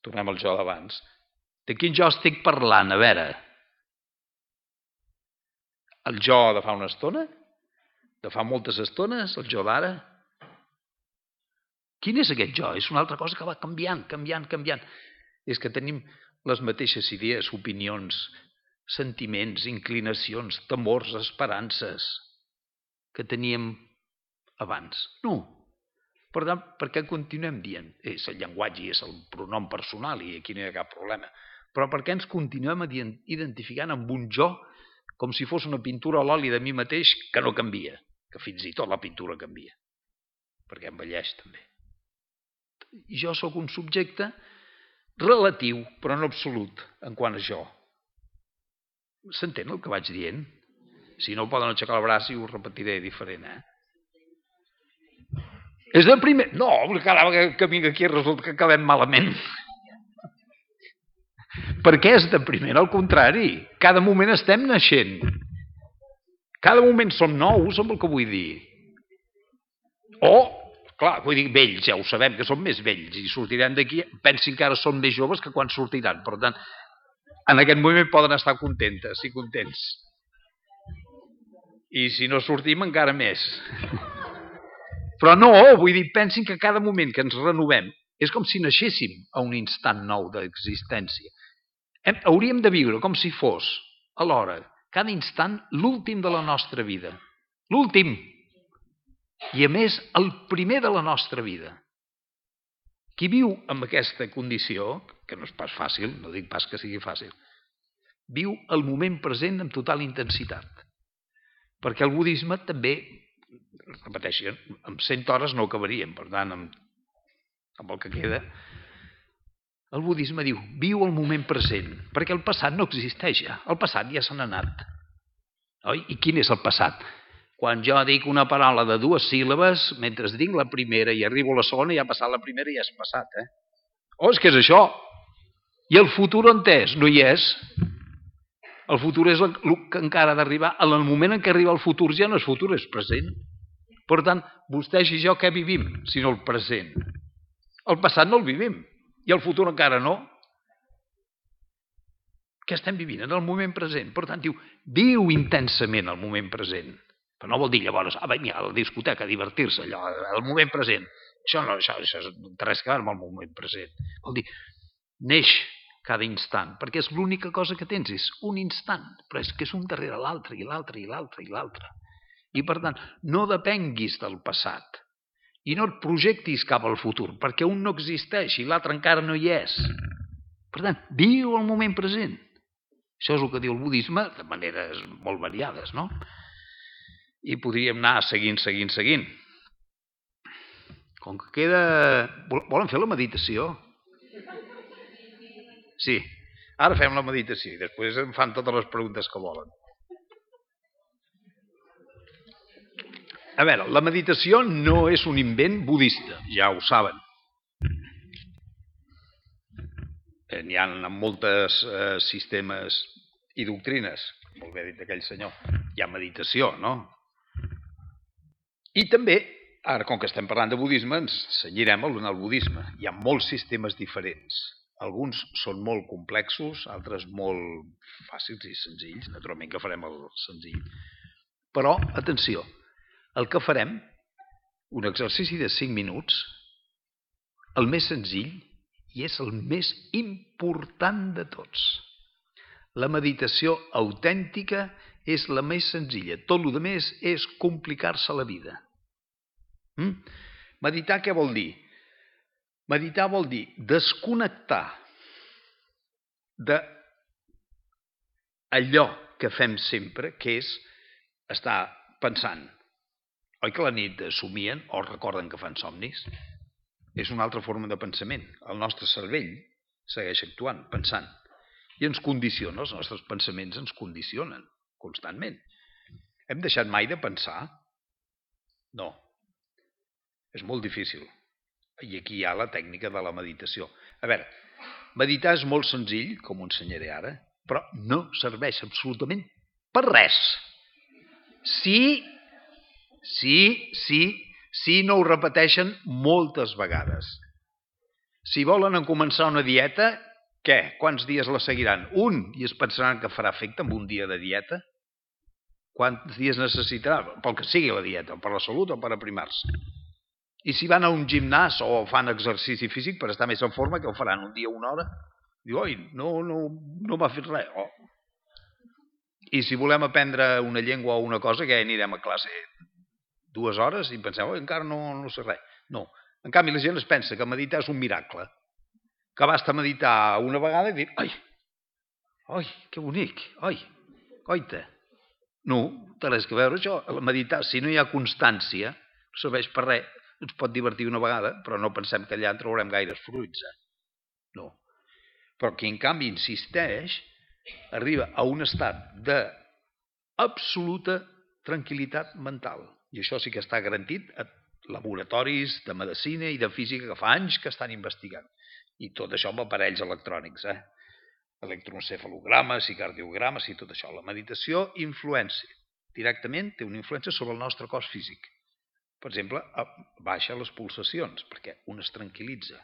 Speaker 2: tornem al jo d'abans, de quin jo estic parlant? A veure, el jo de fa una estona? De fa moltes estones? El jo d'ara? Quin és aquest jo? És una altra cosa que va canviant, canviant, canviant. És que tenim les mateixes idees, opinions, sentiments, inclinacions, temors, esperances que teníem abans. No. Per tant, per què continuem dient? És el llenguatge i és el pronom personal i aquí no hi ha cap problema. Però per què ens continuem identificant amb un jo com si fos una pintura a l'oli de mi mateix que no canvia, que fins i tot la pintura canvia, perquè envelleix també. Jo sóc un subjecte relatiu, però no absolut, en quant a jo. S'entén el que vaig dient? Si no, poden aixecar el braç i ho repetiré diferent, És de primer... No, cada vegada que vinc aquí resulta que acabem malament. Per què és de primer? Al contrari, cada moment estem naixent. Cada moment som nous, amb el que vull dir. Clar, vull dir, vells, ja ho sabem, que som més vells i sortiran d'aquí, pensin que ara són més joves que quan sortiran. Per tant, en aquest moment poden estar contentes i contents. I si no sortim, encara més. Però no, vull dir, pensin que cada moment que ens renovem és com si naixéssim a un instant nou d'existència. Hauríem de viure com si fos, alhora, cada instant, l'últim de la nostra vida. L'últim. I a més, el primer de la nostra vida. Qui viu amb aquesta condició, que no és pas fàcil, no dic pas que sigui fàcil, viu el moment present amb total intensitat. Perquè el budisme també, repeteixo, amb 100 hores no acabaríem, per tant, amb el que queda, el budisme diu, viu el moment present, perquè el passat no existeix ja, el passat ja se n'ha anat. Oi? I quin és el passat? Quan jo dic una paraula de 2 síl·labes, mentre dic la primera i arribo a la segona, ja ha passat la primera i ja és passat. És que és això. I el futur on és? No hi és. El futur és el que encara ha d'arribar. En el moment en què arriba el futur ja no és futur, és present. Per tant, vostès i jo què vivim, si no el present? El passat no el vivim. I el futur encara no. Què estem vivint? En el moment present. Per tant, diu, viu intensament el moment present. Però no vol dir llavors, vinga, a la discoteca, a divertir-se, allò, el moment present. Això no té res a veure amb el moment present. Vol dir, neix cada instant, perquè és l'única cosa que tens, és un instant, però és que és un darrere l'altre, i l'altre, i l'altre, i l'altre. I per tant, no depenguis del passat, i no et projectis cap al futur, perquè un no existeix i l'altre encara no hi és. Per tant, viu el moment present. Això és el que diu el budisme, de maneres molt variades, no? I podríem anar seguint. Com que queda... Volen fer la meditació? Sí. Ara fem la meditació i després em fan totes les preguntes que volen. A veure, la meditació no és un invent budista, ja ho saben. N'hi ha molts sistemes i doctrines, molt bé dit aquell senyor. Hi ha meditació, no? I també, ara com que estem parlant de budisme, ens cenyirem al budisme. Hi ha molts sistemes diferents. Alguns són molt complexos, altres molt fàcils i senzills. Naturalment que farem el senzill. Però, atenció, el que farem, un exercici de 5 minuts, el més senzill i és el més important de tots. La meditació autèntica és la més senzilla. Tot el més és complicar-se la vida. Meditar què vol dir? Meditar vol dir desconnectar d'allò que fem sempre, que és estar pensant. Oi que la nit somien o recorden que fan somnis? És una altra forma de pensament. El nostre cervell segueix actuant, pensant. I ens condiciona, els nostres pensaments ens condicionen constantment. Hem deixat mai de pensar? No. És molt difícil. I aquí hi ha la tècnica de la meditació. A veure, meditar és molt senzill, com ho ensenyaré ara, però no serveix absolutament per res. Si no ho repeteixen moltes vegades. Si volen començar una dieta, què? Quants dies la seguiran? Un, i es pensaran que farà efecte amb un dia de dieta? Quants dies necessitarà? Pel que sigui la dieta, per la salut o per aprimar-se. I si van a un gimnàs o fan exercici físic per estar més en forma, que ho faran un dia, 1 hora? Diu, oi, no m'ha fet res. I si volem aprendre una llengua o una cosa, que anirem a classe 2 hores i pensem, encara no sé res. No. En canvi, la gent es pensa que meditar és un miracle. Que basta meditar una vegada i dir, ai, que bonic, oita. No, té res que veure això. Meditar, si no hi ha constància, no serveix per res. Ens pot divertir una vegada, però no pensem que allà en trobarem gaires fruits. No. Però qui en canvi insisteix, arriba a un estat d'absoluta tranquil·litat mental. I això sí que està garantit a laboratoris de medicina i de física que fa anys que estan investigant. I tot això amb aparells electrònics, electroencefalogrames i cardiogrames i tot això. La meditació influència directament, té una influència sobre el nostre cos físic. Per exemple, baixa les pulsacions, perquè un es tranquil·litza.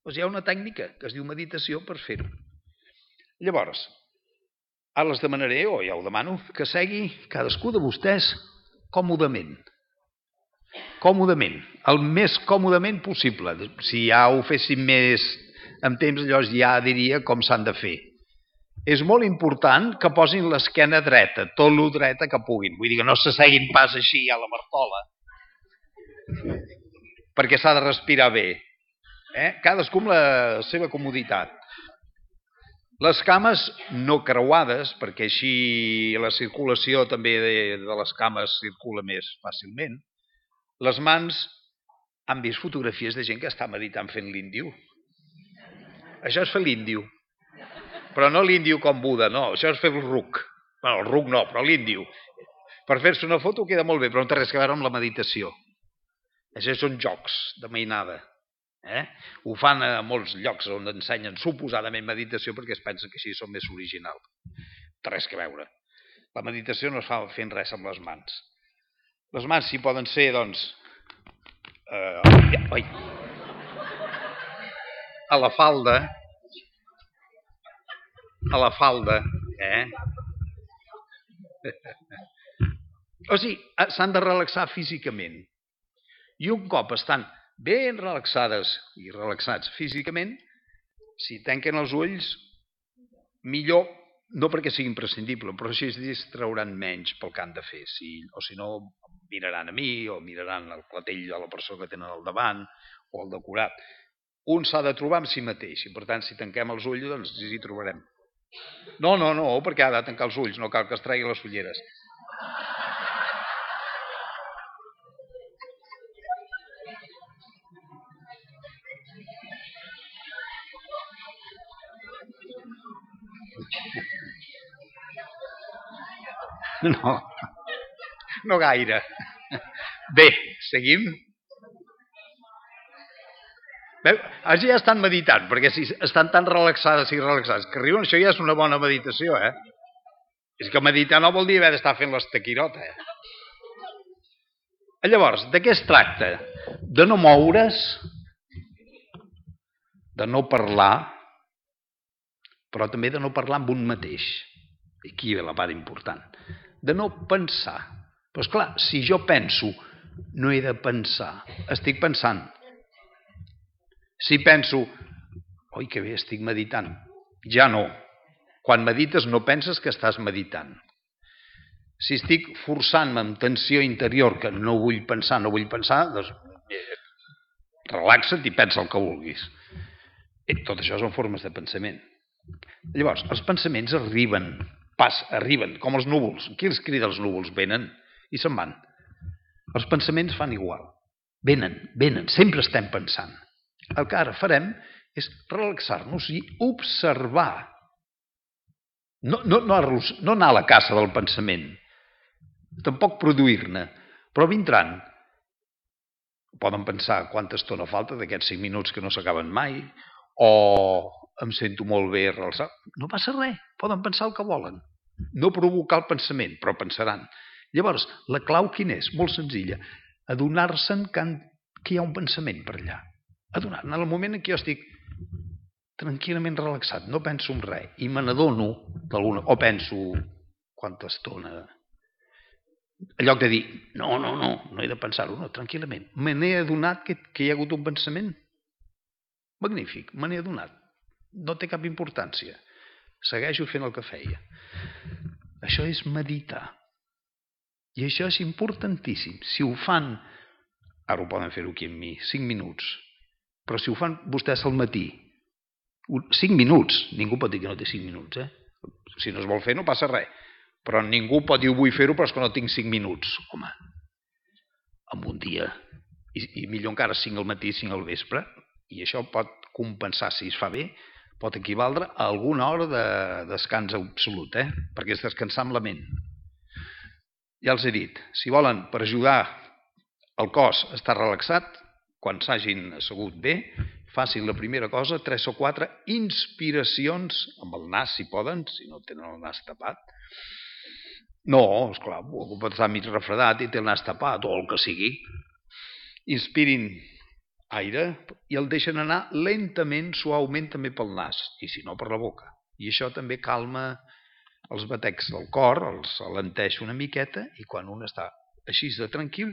Speaker 2: Doncs hi ha una tècnica que es diu meditació per fer-ho. Llavors, ara les demanaré, o ja ho demano, que segui cadascú de vostès còmodament. Còmodament, el més còmodament possible. Si ja ho féssim més en temps, llavors ja diria com s'han de fer. És molt important que posin l'esquena dreta, tot lo dreta que puguin. Vull dir que no s'asseguin pas així a la Martola, perquè s'ha de respirar bé. Cadascú amb la seva comoditat. Les cames no creuades, perquè així la circulació també de les cames circula més fàcilment. Les mans, han vist fotografies de gent que està meditant fent l'índio? Això és fer l'índio. Però no l'índio com Buda, no, això és fer el ruc. Bueno, el ruc no, però l'índio. Per fer-se una foto queda molt bé, però no té res a veure amb la meditació. Això són jocs de mainada. Ho fan a molts llocs on ensenyen suposadament meditació perquè es pensen que així són més originals. No té res a veure. La meditació no es fa fent res amb les mans. Les mans sí poden ser, doncs, a la falda, O sigui, s'han de relaxar físicament. I un cop estan ben relaxades i relaxats físicament, si tanquen els ulls, millor, no perquè sigui imprescindible, però així es distrauran menys pel que han de fer. O si no, miraran a mi o miraran el clatell de la persona que tenen al davant o el decorat. Un s'ha de trobar amb si mateix i per tant si tanquem els ulls doncs ens hi trobarem. No, perquè ha de tancar els ulls, no cal que es tregui les ulleres. No gaire. Bé, seguim. Així ja estan meditant, perquè si estan tan relaxades i relaxats que riuen, això ja és una bona meditació, És que meditar no vol dir haver d'estar fent l'estaquirota, Llavors, de què es tracta? De no moure's, de no parlar, però també de no parlar amb un mateix. Aquí ve la part important. De no pensar. Però esclar, si jo penso, no he de pensar. Estic pensant. Si penso, oi que bé, estic meditant. Ja no. Quan medites no penses que estàs meditant. Si estic forçant-me amb tensió interior que no vull pensar, doncs relaxa't i pensa el que vulguis. Tot això són formes de pensament. Llavors, els pensaments arriben com els núvols. Qui els crida els núvols? Venen i se'n van. Els pensaments fan igual. Venen, sempre estem pensant. El que ara farem és relaxar-nos i observar. No anar a la caça del pensament, tampoc produir-ne, però vindran. Poden pensar quanta estona falta d'aquests 5 minuts que no s'acaben mai, o em sento molt bé relaxat. No passa res, poden pensar el que volen. No provocar el pensament, però pensaran. Llavors, la clau quina és? Molt senzilla. Adonar-se'n que hi ha un pensament per allà. En el moment en què jo estic tranquil·lament relaxat, no penso en res, i me n'adono o penso quanta estona, en lloc de dir, no he de pensar-ho, no, tranquil·lament. Me n'he adonat que hi ha hagut un pensament? Magnífic, me n'he adonat. No té cap importància. Segueixo fent el que feia. Això és meditar. I això és importantíssim. Si ho fan, ara ho poden fer-ho aquí amb mi, 5 minuts, però si ho fan vostès al matí, 5 minuts, ningú pot dir que no té 5 minuts, Si no es vol fer no passa res, però ningú pot dir vull fer-ho però és que no tinc 5 minuts. Home, en un dia, i millor encara 5 al matí, 5 al vespre, i això pot compensar si es fa bé, pot equivaldre a alguna hora de descans absolut, perquè és descansar amb la ment. Ja els he dit, si volen, per ajudar el cos a estar relaxat, quan s'hagin assegut bé, facin la primera cosa, 3 o 4 inspiracions, amb el nas si poden, si no tenen el nas tapat. No, esclar, algú pot estar mig refredat i té el nas tapat, o el que sigui. Inspirin aire i el deixen anar lentament, suaument també pel nas, i si no per la boca. I això també calma els batecs del cor, els alenteix una miqueta, i quan un està així de tranquil,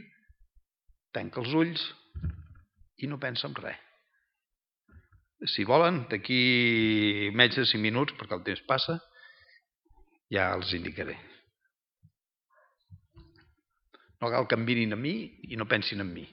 Speaker 2: tanca els ulls i no pensa en res. Si volen, d'aquí menys de 5 minuts, perquè el temps passa, ja els indicaré. No cal que em mirin a mi i no pensin en mi.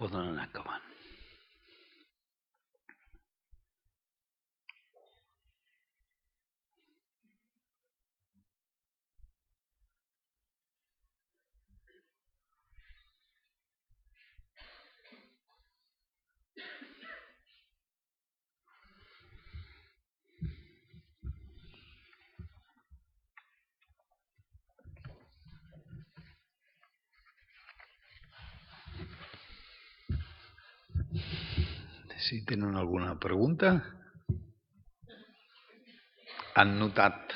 Speaker 2: Poden anar acabant. si tenen alguna pregunta. Han notat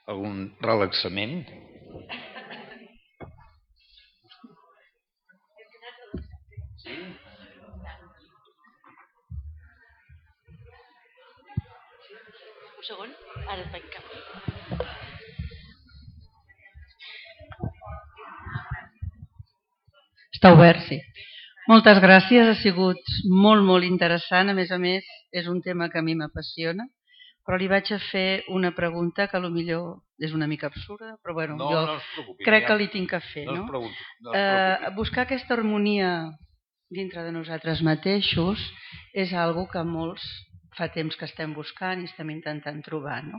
Speaker 2: algun relaxament?
Speaker 3: Un segon, ara et veig cap. Està obert, sí. Moltes gràcies, ha sigut molt interessant. A més, és un tema que a mi m'apassiona, però li vaig a fer una pregunta que potser és una mica absurda, però bueno, jo crec que li tinc que fer. No? Buscar aquesta harmonia dintre de nosaltres mateixos és algo que molts fa temps que estem buscant i estem intentant trobar, no?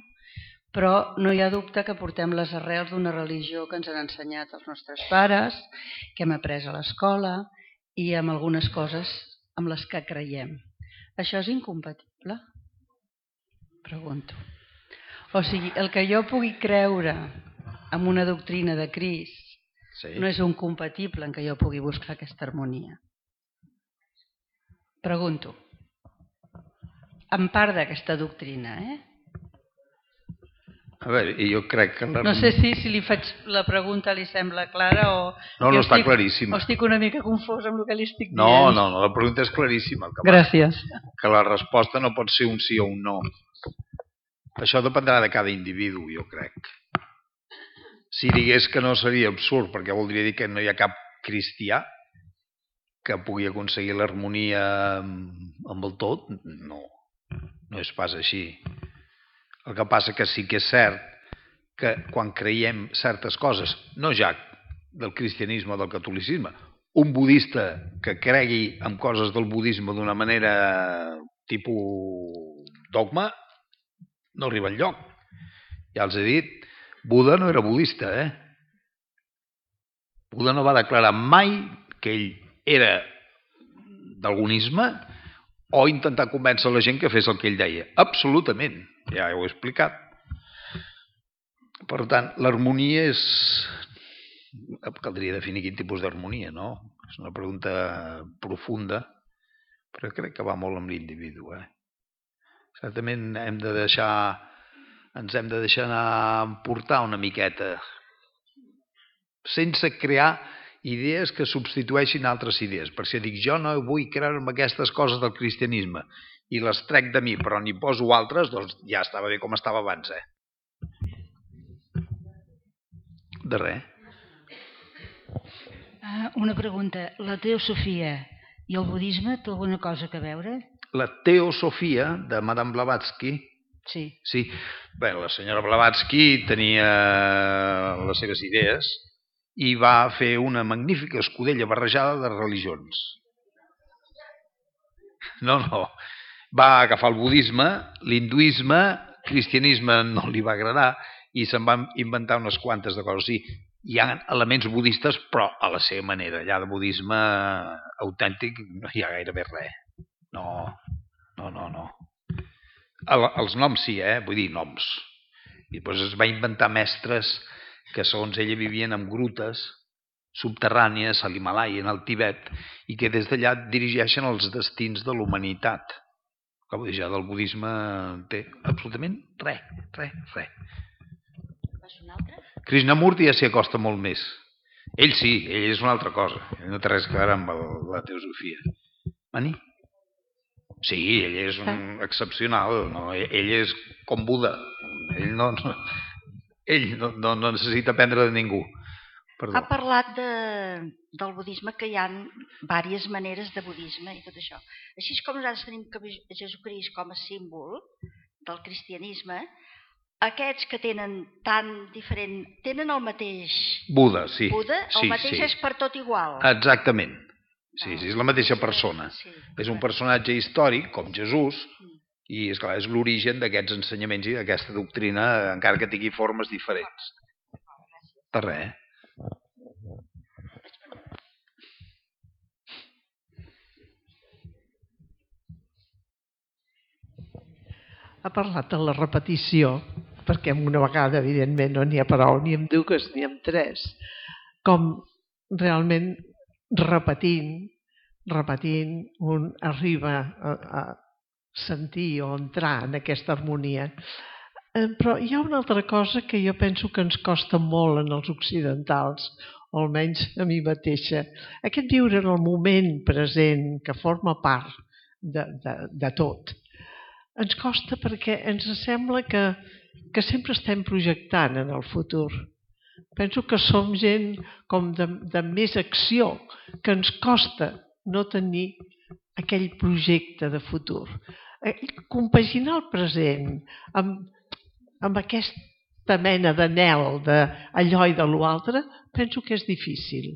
Speaker 3: Però no hi ha dubte que portem les arrels d'una religió que ens han ensenyat els nostres pares, que hem après a l'escola i amb algunes coses amb les que creiem. Això és incompatible? Pregunto. O sigui, el que jo pugui creure en una doctrina de Crist no és incompatible en què jo pugui buscar aquesta harmonia. Pregunto. En part d'aquesta doctrina,
Speaker 2: A veure, jo crec que...
Speaker 3: No sé si li faig la pregunta li sembla clara o...
Speaker 2: No, està claríssima.
Speaker 3: O estic una mica confosa amb el que li estic dient.
Speaker 2: No, la pregunta és claríssima.
Speaker 3: Gràcies.
Speaker 2: Que la resposta no pot ser un sí o un no. Això dependrà de cada individu, jo crec. Si digués que no seria absurd, perquè voldria dir que no hi ha cap cristià que pugui aconseguir l'harmonia amb el tot, no és pas així. El que passa que sí que és cert que quan creiem certes coses, no ja del cristianisme o del catolicisme, un budista que cregui en coses del budisme d'una manera tipus dogma, no arriba enlloc. Ja els he dit, Buda no era budista, Buda no va declarar mai que ell era d'algunisme o intentar convèncer la gent que fes el que ell deia. Absolutament. Ja ho he explicat. Per tant, l'harmonia és... Caldria definir quin tipus d'harmonia, no? És una pregunta profunda, però crec que va molt amb l'individu. Certament ens hem de deixar anar portar una miqueta, sense crear idees que substitueixin altres idees. Per si dic, jo no vull creure en aquestes coses del cristianisme, i les trec de mi, però n'hi poso altres, doncs ja estava bé com estava abans, De res.
Speaker 4: Una pregunta. La teosofia i el budisme té alguna cosa a veure?
Speaker 2: La teosofia de Madame Blavatsky.
Speaker 4: Sí.
Speaker 2: Bé, la senyora Blavatsky tenia les seves idees i va fer una magnífica escudella barrejada de religions. No. Va agafar el budisme, l'hinduisme, el cristianisme no li va agradar i se'n van inventar unes quantes de coses. Sí, hi ha elements budistes, però a la seva manera. Allà de budisme autèntic no hi ha gairebé res. No. Els noms sí, vull dir noms. I després es va inventar mestres que segons ella vivien en grutes subterrànies a l'Himàlaia, en el Tibet, i que des d'allà dirigeixen els destins de l'humanitat. Que vull dir, ja del budisme té absolutament res. Krishnamurti ja s'hi acosta molt més. Ell sí, ell és una altra cosa. No té res a veure amb la teosofia. Mani? Sí, ell és un excepcional. No? Ell és com Buda. Ell no necessita aprendre de ningú. Perdó.
Speaker 5: Ha parlat del budisme, que hi ha diverses maneres de budisme i tot això. Així com nosaltres tenim Jesucrist com a símbol del cristianisme, aquests que tenen tan diferent, tenen el mateix
Speaker 2: Buda, sí.
Speaker 5: Buda, el mateix és per tot igual.
Speaker 2: Exactament. Sí, és la mateixa persona. És un personatge històric, com Jesús, i esclar, és l'origen d'aquests ensenyaments i d'aquesta doctrina, encara que tingui formes diferents. Per res,
Speaker 1: Ha parlat de la repetició, perquè amb una vegada, evidentment, no n'hi ha prou ni amb dues ni amb tres. Com realment repetint repetint, un arriba a sentir o entrar en aquesta harmonia. Però hi ha una altra cosa que jo penso que ens costa molt en els occidentals, o almenys a mi mateixa. Aquest viure en el moment present, que forma part de tot, ens costa perquè ens sembla que sempre estem projectant en el futur. Penso que som gent com de més acció, que ens costa no tenir aquell projecte de futur. Compaginar el present amb aquesta mena d'anhel d'allò i de l'altre, penso que és difícil.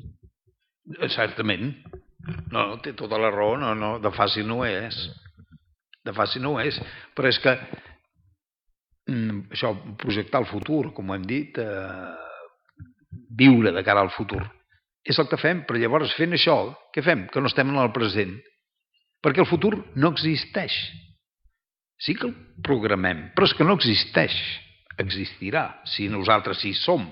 Speaker 2: Certament. No, té tota la raó. No, de fàcil no és. De fàcil no és. Però és que això, projectar el futur, com hem dit, viure de cara al futur, és el que fem. Però llavors, fent això, què fem? Que no estem en el present. Perquè el futur no existeix. Sí que el programem, però és que no existeix. Existirà, si nosaltres hi som.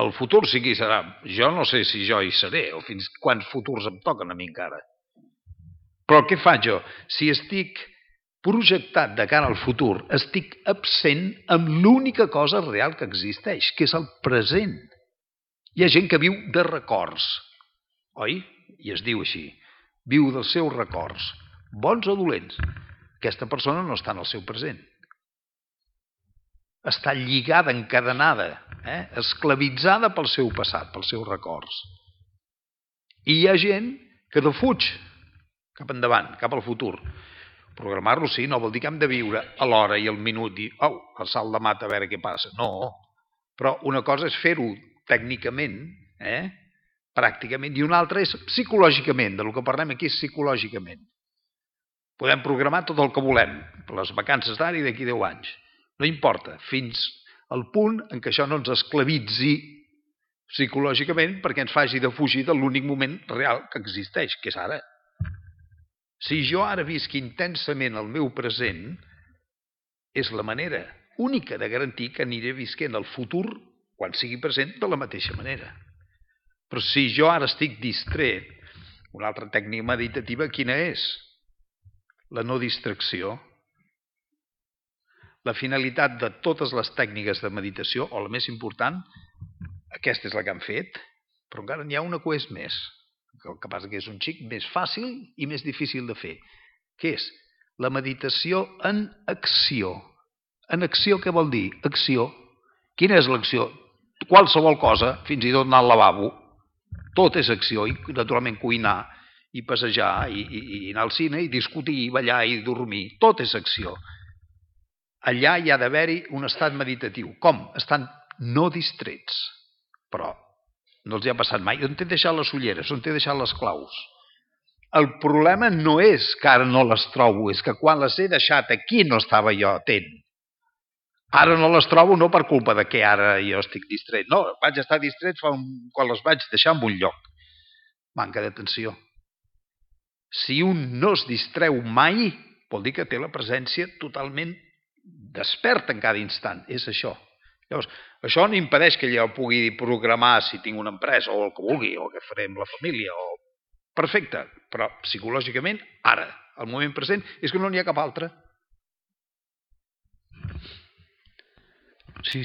Speaker 2: El futur sí que hi serà. Jo no sé si jo hi seré, o fins quants futurs em toquen a mi encara. Però què faig jo? Si estic projectat de cara al futur, estic absent amb l'única cosa real que existeix, que és el present. Hi ha gent que viu de records, oi? I es diu així. Viu dels seus records, bons o dolents. Aquesta persona no està en el seu present. Està lligada, encadenada, esclavitzada pel seu passat, pels seus records. I hi ha gent que defuig cap endavant, cap al futur. Programar-lo sí, no vol dir que hem de viure a l'hora i al minut i el salt de mata a veure què passa. No, però una cosa és fer-ho tècnicament, pràcticament, i una altra és psicològicament. Del que parlem aquí és psicològicament. Podem programar tot el que volem, per les vacances d'ara i d'aquí 10 anys. No importa, fins al punt en què això no ens esclavitzi psicològicament perquè ens faci defugir de l'únic moment real que existeix, que és ara. Si jo ara visc intensament el meu present, és la manera única de garantir que aniré visquent el futur, quan sigui present, de la mateixa manera. Però si jo ara estic distret, una altra tècnica meditativa, quina és? La no distracció. La finalitat de totes les tècniques de meditació, o la més important, aquesta és la que han fet, però encara n'hi ha una que és més. El que passa que és un xic més fàcil i més difícil de fer. Què és? La meditació en acció. En acció què vol dir? Acció. Quina és l'acció? Qualsevol cosa, fins i tot anar al lavabo, tot és acció, i naturalment cuinar, i passejar, i anar al cine, i discutir, i ballar, i dormir. Tot és acció. Allà hi ha d'haver-hi un estat meditatiu. Com? Estan no distrets. Però no els hi ha passat mai. On t'he deixat les ulleres? On t'he deixat les claus? El problema no és que ara no les trobo, és que quan les he deixat aquí no estava jo atent. Ara no les trobo no per culpa de que ara jo estic distret. No, vaig estar distret quan les vaig deixar en un lloc. Manca d'atenció. Si un no es distreu mai, vol dir que té la presència totalment desperta en cada instant. És això. Llavors, això no impedeix que jo pugui programar si tinc una empresa o el que vulgui, o què faré amb la família. Perfecte, però psicològicament, ara, al moment present, és que no n'hi ha cap altre. Sí.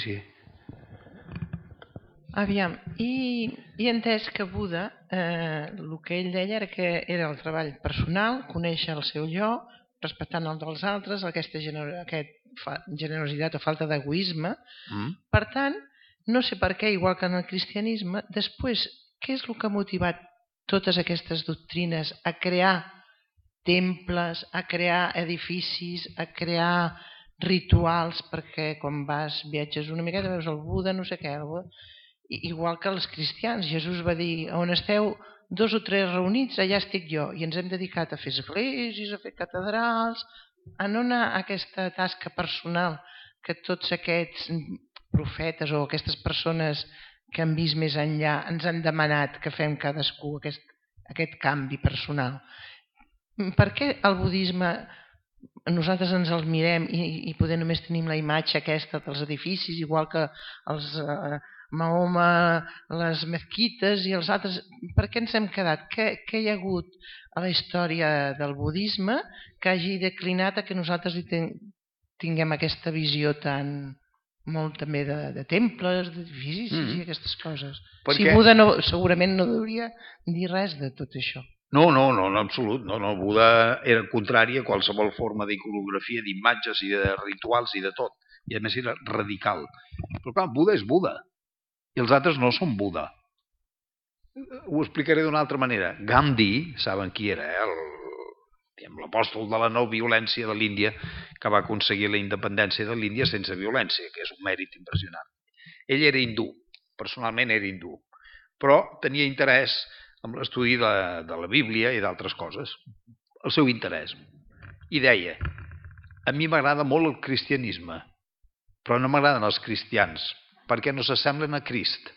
Speaker 6: Aviam, i entès que Buda, el que ell deia era que era el treball personal, conèixer el seu jo, respectant el dels altres, aquesta generositat o falta d'egoisme. Per tant, no sé per què, igual que en el cristianisme, després, què és el que ha motivat totes aquestes doctrines a crear temples, a crear edificis, a crear rituals, perquè quan viatges una miqueta veus el Buda, no sé què, igual que els cristians. Jesús va dir, on esteu 2 o 3 reunits, allà estic jo, i ens hem dedicat a fer esglésies, a fer catedrals, a no anar a aquesta tasca personal que tots aquests profetes o aquestes persones que han vist més enllà ens han demanat que fem cadascú aquest canvi personal. Per què el budisme nosaltres ens el mirem i poder només tenim la imatge aquesta dels edificis, igual que Mahoma, les mezquites i els altres. Per què ens hem quedat? Què hi ha hagut a la història del budisme que hagi declinat a que nosaltres tinguem aquesta visió tan molt també de temples, d'edificis i aquestes coses? Si Buda segurament no hauria dir res de tot això.
Speaker 2: No, en absolut. No, Buda era contrari a qualsevol forma d'iconografia, d'imatges i de rituals i de tot. I a més era radical. Però clar, Buda és Buda. I els altres no són Buda. Ho explicaré d'una altra manera. Gandhi, saben qui era, l'apòstol de la no violència de l'Índia, que va aconseguir la independència de l'Índia sense violència, que és un mèrit impressionant. Ell era hindú, personalment era hindú, però tenia interès en l'estudi de la Bíblia i d'altres coses. El seu interès. I deia, a mi m'agrada molt el cristianisme, però no m'agraden els cristians, perquè no s'assemblen a Crist.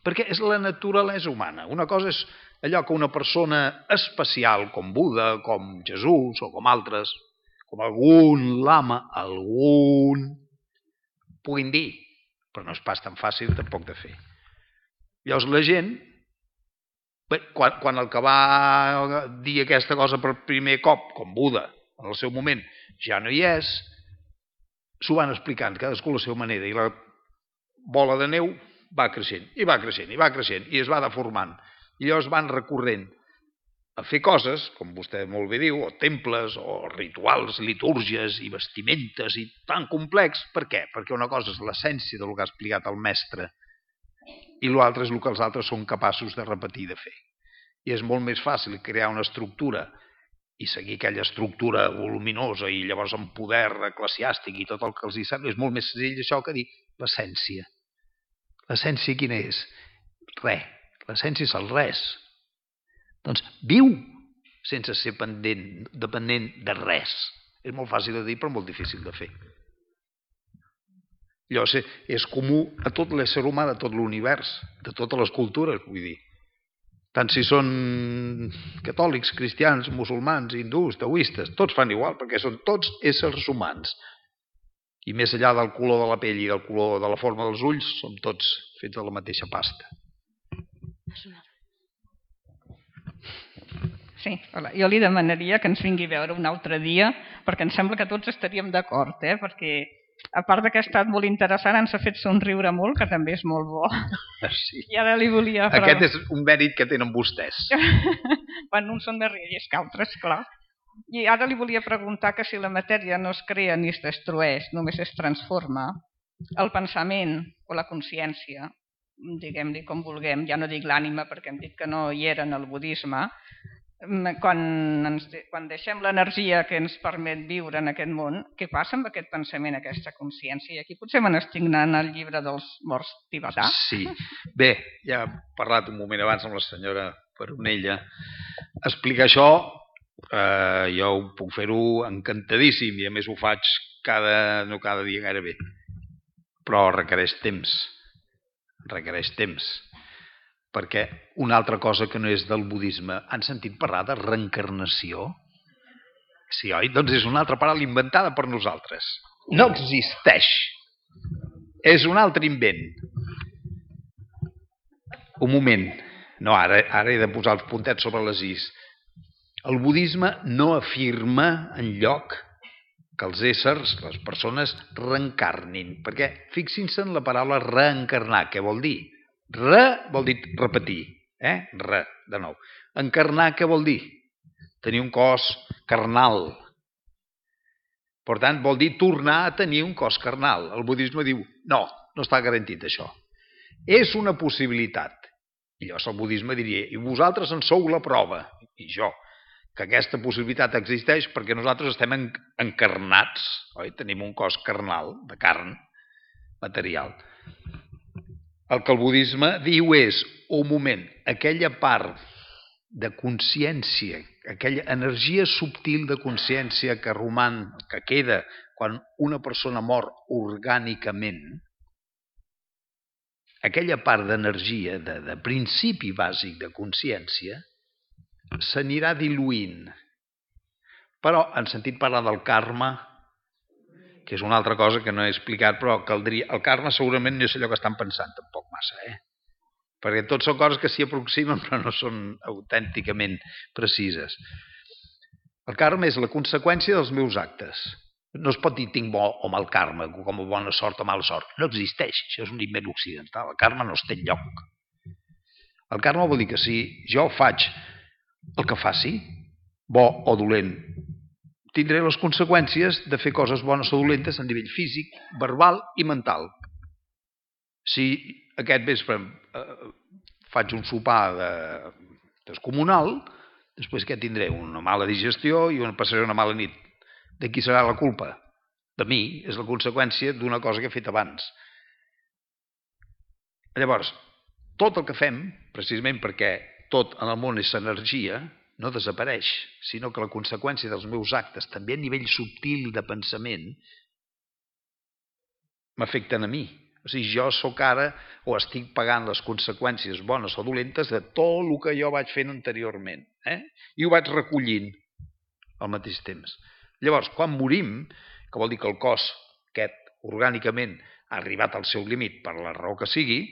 Speaker 2: Perquè és la naturalesa humana. Una cosa és allò que una persona especial, com Buda, com Jesús o com altres, com algun lama, puguin dir, però no és pas tan fàcil tampoc de fer. Llavors la gent, quan el que va dir aquesta cosa per primer cop, com Buda, en el seu moment, ja no hi és, s'ho van explicant cadascú a la seva manera, i la bola de neu va creixent, i va creixent, i va creixent, i es va deformant. I llavors van recorrent a fer coses, com vostè molt bé diu, o temples, o rituals, litúrgies i vestimentes, i tan complex. Per què? Perquè una cosa és l'essència del que ha explicat el mestre, i l'altre és el que els altres són capaços de repetir i de fer. I és molt més fàcil crear una estructura i seguir aquella estructura voluminosa i llavors amb poder eclesiàstic i tot el que els hi sembla. És molt més senzill això que dir l'essència. L'essència quina és? Res. L'essència és el res. Doncs viu sense ser dependent de res. És molt fàcil de dir però molt difícil de fer. Llavors és comú a tot l'ésser humà de tot l'univers, de totes les cultures, vull dir. Tant si són catòlics, cristians, musulmans, hindús, taoistes, tots fan igual, perquè són tots éssers humans. I més enllà del color de la pell i del color de la forma dels ulls, som tots fets de la mateixa pasta.
Speaker 7: Sí, hola. Jo li demanaria que ens vingui a veure un altre dia, perquè em sembla que tots estaríem d'acord, perquè a part que ha estat molt interessant, ens ha fet somriure molt, que també és molt bo.
Speaker 2: Sí.
Speaker 7: I ara li volia...
Speaker 2: Aquest és un mèrit que tenen vostès.
Speaker 7: Bueno, uns són més riallers que altres, clar. I ara li volia preguntar que si la matèria no es crea ni es destrueix, només es transforma, el pensament o la consciència, diguem-li com vulguem, ja no dic l'ànima perquè hem dit que no hi era en el budisme, quan deixem l'energia que ens permet viure en aquest món, què passa amb aquest pensament, aquesta consciència? I aquí potser me n'estic anant al llibre dels morts tibetà.
Speaker 2: Sí. Bé, ja he parlat un moment abans amb la senyora Peronella. Explicar això, jo ho puc fer-ho encantadíssim i a més ho faig no cada dia gairebé. Però requereix temps. Perquè una altra cosa que no és del budisme, han sentit parlar de reencarnació? Sí, oi? Doncs és una altra paraula inventada per nosaltres. No existeix. És un altre invent. Un moment. No, ara he de posar els puntets sobre les is. El budisme no afirma enlloc que els éssers, les persones, reencarnin. Perquè fixin-se en la paraula reencarnar. Què vol dir? Re vol dir repetir. Re, de nou. Encarnar què vol dir? Tenir un cos carnal. Per tant, vol dir tornar a tenir un cos carnal. El budisme diu, no està garantit això. És una possibilitat. I llavors el budisme diria, i vosaltres en sou la prova, i jo, que aquesta possibilitat existeix perquè nosaltres estem encarnats, oi? Tenim un cos carnal, de carn, material. El que el budisme diu és, un moment, aquella part de consciència, aquella energia subtil de consciència que roman, que queda quan una persona mor orgànicament, aquella part d'energia, de principi bàsic de consciència, s'anirà diluint. Però han sentit parlar del karma, que que és una altra cosa que no he explicat, però caldria... El karma segurament no és allò que estan pensant, tampoc massa, perquè tots són coses que s'hi aproximen però no són autènticament precises. El karma és la conseqüència dels meus actes. No es pot dir tinc bo o mal karma, com a bona sort o mala sort. No existeix, això és un invent occidental. El karma no es té enlloc. El karma vol dir que si jo faig el que faci, bo o dolent, tindré les conseqüències de fer coses bones o dolentes a nivell físic, verbal i mental. Si aquest vespre faig un sopar descomunal, després què tindré? Una mala digestió i passaré una mala nit. De qui serà la culpa? De mi. És la conseqüència d'una cosa que he fet abans. Llavors, tot el que fem, precisament perquè tot en el món és energia, no desapareix, sinó que la conseqüència dels meus actes, també a nivell subtil de pensament, m'afecten a mi. O sigui, jo sóc ara o estic pagant les conseqüències bones o dolentes de tot el que jo vaig fent anteriorment. I ho vaig recollint al mateix temps. Llavors, quan morim, que vol dir que el cos aquest orgànicament ha arribat al seu límit per la raó que sigui,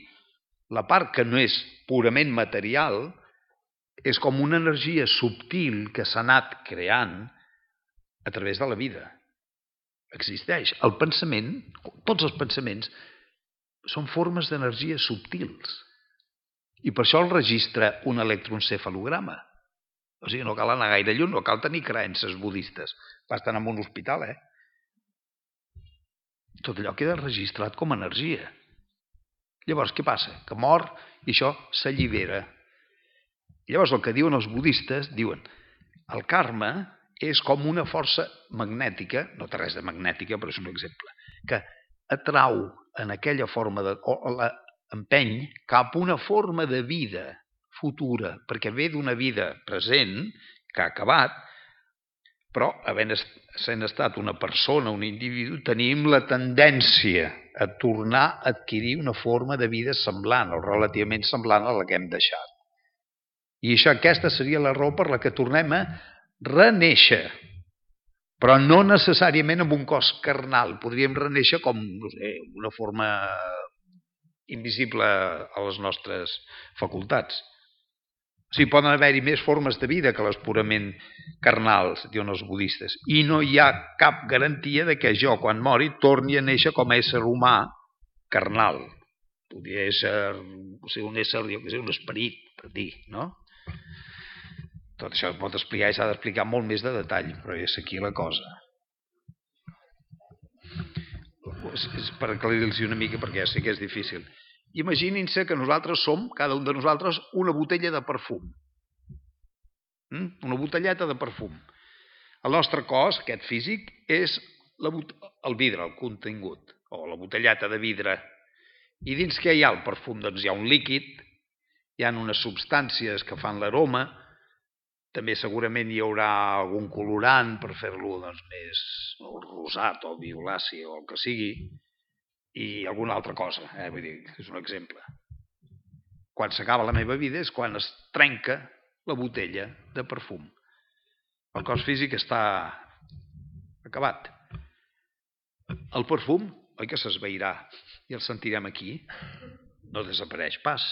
Speaker 2: la part que no és purament material és com una energia subtil que s'ha anat creant a través de la vida. Existeix. El pensament, tots els pensaments, són formes d'energia subtils. I per això el registra un electroencefalograma. O sigui, no cal anar gaire lluny, no cal tenir creences budistes. Basta anar a un hospital, Tot allò queda registrat com a energia. Llavors, què passa? Que mor i això s'allibera. Llavors, el que diuen els budistes, diuen el karma és com una força magnètica, no té res de magnètica, però és un exemple, que atrau en aquella forma, o l'empeny cap a una forma de vida futura, perquè ve d'una vida present que ha acabat, però sent estat una persona, un individu, tenim la tendència a tornar a adquirir una forma de vida semblant o relativament semblant a la que hem deixat. I aquesta seria la raó per la que tornem a renéixer, però no necessàriament amb un cos carnal. Podríem renéixer com una forma invisible a les nostres facultats. O sigui, poden haver-hi més formes de vida que les purament carnals, diuen els budistes. I no hi ha cap garantia de que jo, quan mori, torni a néixer com a ésser humà carnal. Podria ser un ésser, un esperit, per dir, no? Tot això es pot explicar i s'ha d'explicar molt més de detall, però és aquí la cosa. És per aclarir-los una mica, perquè ja sé que és difícil. Imaginin-se que nosaltres som, cada un de nosaltres, una botella de perfum. Una botelleta de perfum. El nostre cos, aquest físic, és el vidre, el contingut, o la botelleta de vidre. I dins què hi ha el perfum? Doncs hi ha un líquid, hi ha unes substàncies que fan l'aroma, també segurament hi haurà algun colorant per fer-lo més rosat o violaci o el que sigui, i alguna altra cosa, vull dir, és un exemple. Quan s'acaba la meva vida és quan es trenca la botella de perfum. El cos físic està acabat. El perfum, oi que s'esvairà i el sentirem aquí, no desapareix pas.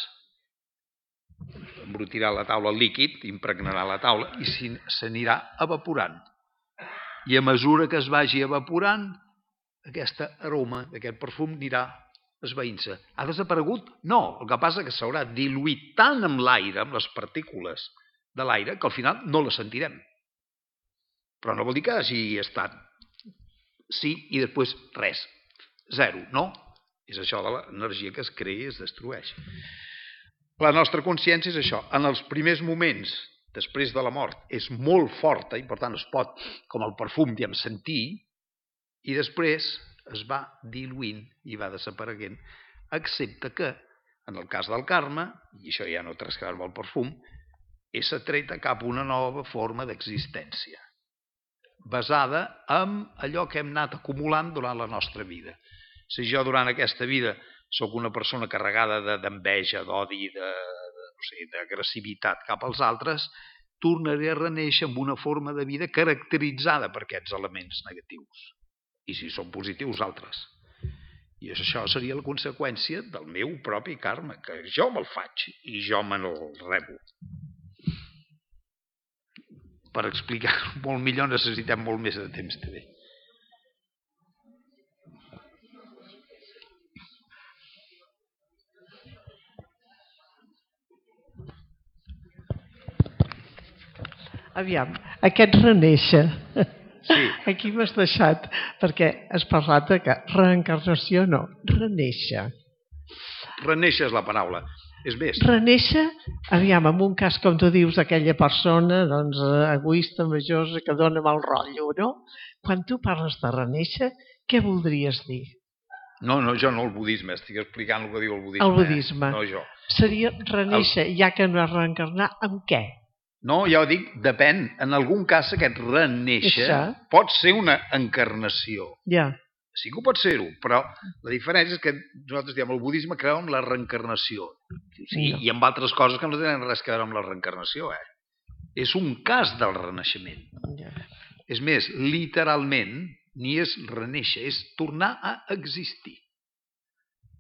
Speaker 2: Embrutirà la taula el líquid, impregnarà la taula i s'anirà evaporant. I a mesura que es vagi evaporant, aquesta aroma d'aquest perfum anirà esvaint-se. Ha desaparegut? No, el que passa és que s'haurà diluït tant amb l'aire, amb les partícules de l'aire, que al final no la sentirem. Però no vol dir que hagi estat sí i després res, zero, no? És això de l'energia que es crea i es destrueix. La nostra consciència és això. En els primers moments, després de la mort, és molt forta i per tant es pot, com el perfum, sentir, i després es va diluint i va desapareguent, excepte que, en el cas del karma, i això ja no té res a veure amb el perfum, és atreta cap a una nova forma d'existència, basada en allò que hem anat acumulant durant la nostra vida. Si jo durant aquesta vida sóc una persona carregada d'enveja, d'odi, d'agressivitat cap als altres, tornaré a renéixer amb una forma de vida caracteritzada per aquests elements negatius. i si són positius, altres. I això seria la conseqüència del meu propi karma, que jo me'l faig i jo me'l rebo. Per explicar-ho molt millor necessitem molt més de temps també.
Speaker 1: Aviam, aquest renéixer,
Speaker 2: sí.
Speaker 1: Aquí m'has deixat, perquè has parlat de que reencarnació no, renéixer.
Speaker 2: Renéixer és la paraula. És més.
Speaker 1: Renéixer, aviam, en un cas, com tu dius, aquella persona doncs, egoista, majosa, que dona mal rotllo, no? Quan tu parles de renéixer, què voldries dir?
Speaker 2: No, jo no el budisme, estic explicant el que diu el budisme.
Speaker 1: El budisme.
Speaker 2: No jo.
Speaker 1: Seria renéixer, ja que no és reencarnar, amb què?
Speaker 2: No, ja ho dic, depèn. En algun cas aquest renéixer pot ser una encarnació.
Speaker 1: Ja.
Speaker 2: Sí que ho pot ser-ho, però la diferència és que nosaltres diem el budisme creu en la reencarnació. Sí, i amb altres coses que no tenen res a veure amb la reencarnació. És un cas del renaixement.
Speaker 1: Ja.
Speaker 2: És més, literalment, ni és renéixer, és tornar a existir.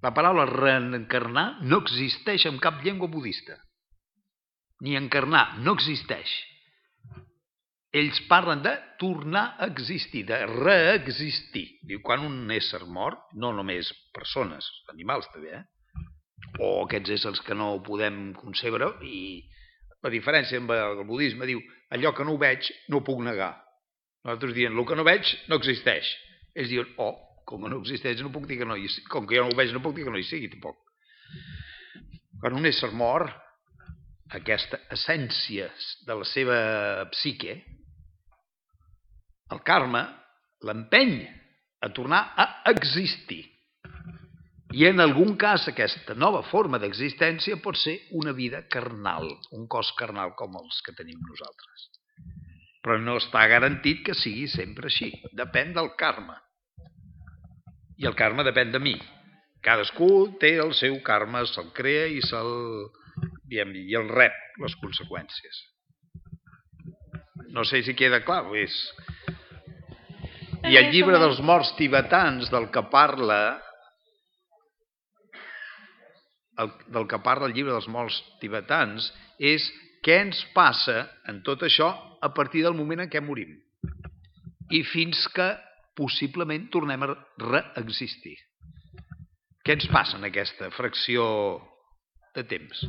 Speaker 2: La paraula reencarnar no existeix en cap llengua budista. Ni encarnar, no existeix. Ells parlen de tornar a existir, de reexistir. Diu, quan un ésser mort, no només persones, animals també, o aquests éssers que no podem concebre, i la diferència amb el budisme diu, allò que no ho veig no ho puc negar. Nosaltres diem, el que no veig no existeix. Ells diuen, com que no existeix no puc dir que no hi sigui. Com que jo no ho veig no puc dir que no hi sigui, tampoc. Quan un ésser mort, aquesta essència de la seva psique, el karma l'empeny a tornar a existir. I en algun cas aquesta nova forma d'existència pot ser una vida carnal, un cos carnal com els que tenim nosaltres. Però no està garantit que sigui sempre així. Depèn del karma. I el karma depèn de mi. Cadascú té el seu karma, se'l crea i i el rep les conseqüències. No sé si queda clar. I el llibre dels morts tibetans del que parla el llibre dels morts tibetans és què ens passa en tot això a partir del moment en què morim i fins que possiblement tornem a reexistir. Què ens passa en aquesta fracció de temps?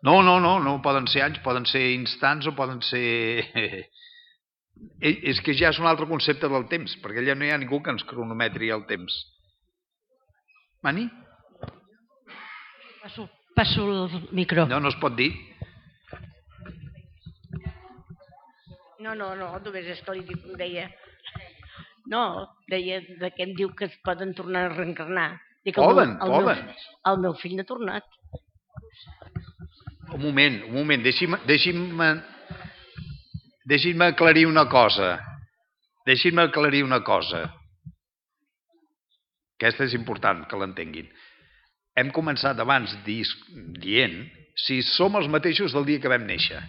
Speaker 2: No poden ser anys, poden ser instants o poden ser... És que ja és un altre concepte del temps, perquè allà no hi ha ningú que ens cronometri el temps. Mani?
Speaker 4: Passo el micro.
Speaker 2: No es pot dir.
Speaker 8: No, només és que li deia... No, deia de què em diu que es poden tornar a reencarnar.
Speaker 2: Poden.
Speaker 8: El meu fill n'ha tornat.
Speaker 2: Un moment, deixi'm aclarir una cosa. Aquesta és important que l'entenguin. Hem començat abans dient si som els mateixos del dia que vam néixer.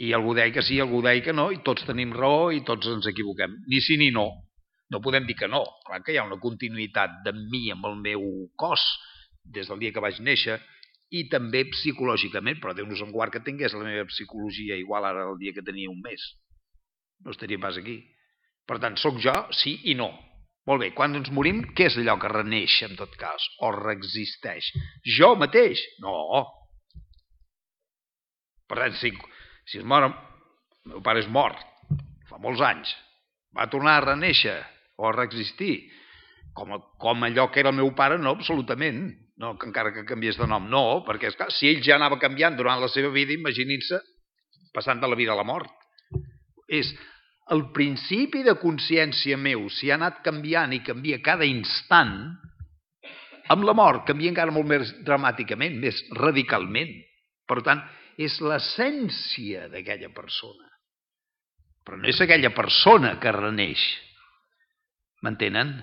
Speaker 2: I algú deia que sí, algú deia que no, i tots tenim raó i tots ens equivoquem. Ni sí ni no. No podem dir que no. Clar que hi ha una continuïtat de mi amb el meu cos des del dia que vaig néixer i també psicològicament, però Déu nos en guard que tingués la meva psicologia igual ara el dia que tenia un mes. No estaria pas aquí. Per tant, sóc jo, sí i no. Molt bé, quan ens morim, què és allò que reneix en tot cas? O reexisteix? Jo mateix? No. Per tant, si es mor, el meu pare és mort, fa molts anys, va tornar a renéixer o a reexistir, com allò que era el meu pare, no, absolutament. No, que encara que canviés de nom, no, perquè esclar, si ell ja anava canviant durant la seva vida, imaginin-se passant de la vida a la mort. És el principi de consciència meu, si ha anat canviant i canvia cada instant, amb la mort canvia encara molt més dramàticament, més radicalment. Per tant, és l'essència d'aquella persona. Però no és aquella persona que reneix. M'entenen?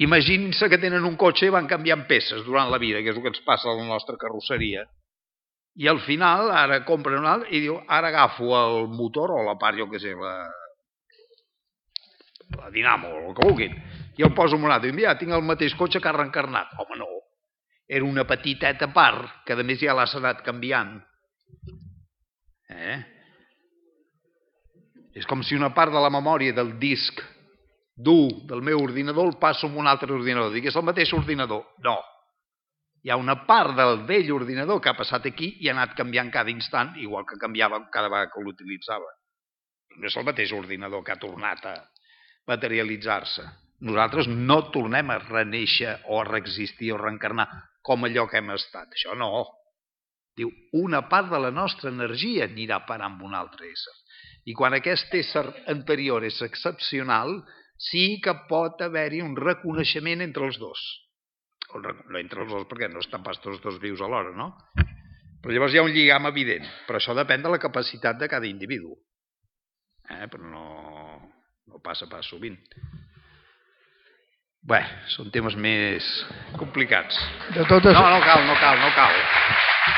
Speaker 2: Imaginin-se que tenen un cotxe i van canviant peces durant la vida, que és el que ens passa a la nostra carrosseria. I al final, ara compren un altre i diu, ara agafo el motor o la part, jo què sé, la dinamo, o el que vulguin, i el poso en un altre. I mira, tinc el mateix cotxe que ha reencarnat. Home, no. Era una petiteta part, que a més ja l'has anat canviant. És com si una part de la memòria del disc dur del meu ordinador el passo en un altre ordinador. Dic, és el mateix ordinador. No. Hi ha una part del vell ordinador que ha passat aquí i ha anat canviant cada instant, igual que canviava cada vegada que l'utilitzava. No és el mateix ordinador que ha tornat a materialitzar-se. Nosaltres no tornem a renéixer o a reexistir o reencarnar com allò que hem estat. Això no. Diu, una part de la nostra energia anirà a parar amb un altre ésser. I quan aquest ésser anterior és excepcional, sí que pot haver-hi un reconeixement entre els dos. No entre els dos, perquè no estan pas tots dos vius alhora, no? Però llavors hi ha un lligam evident. Però això depèn de la capacitat de cada individu. Però no passa pas sovint. Bé, són temes més complicats.
Speaker 1: De totes...
Speaker 2: No cal.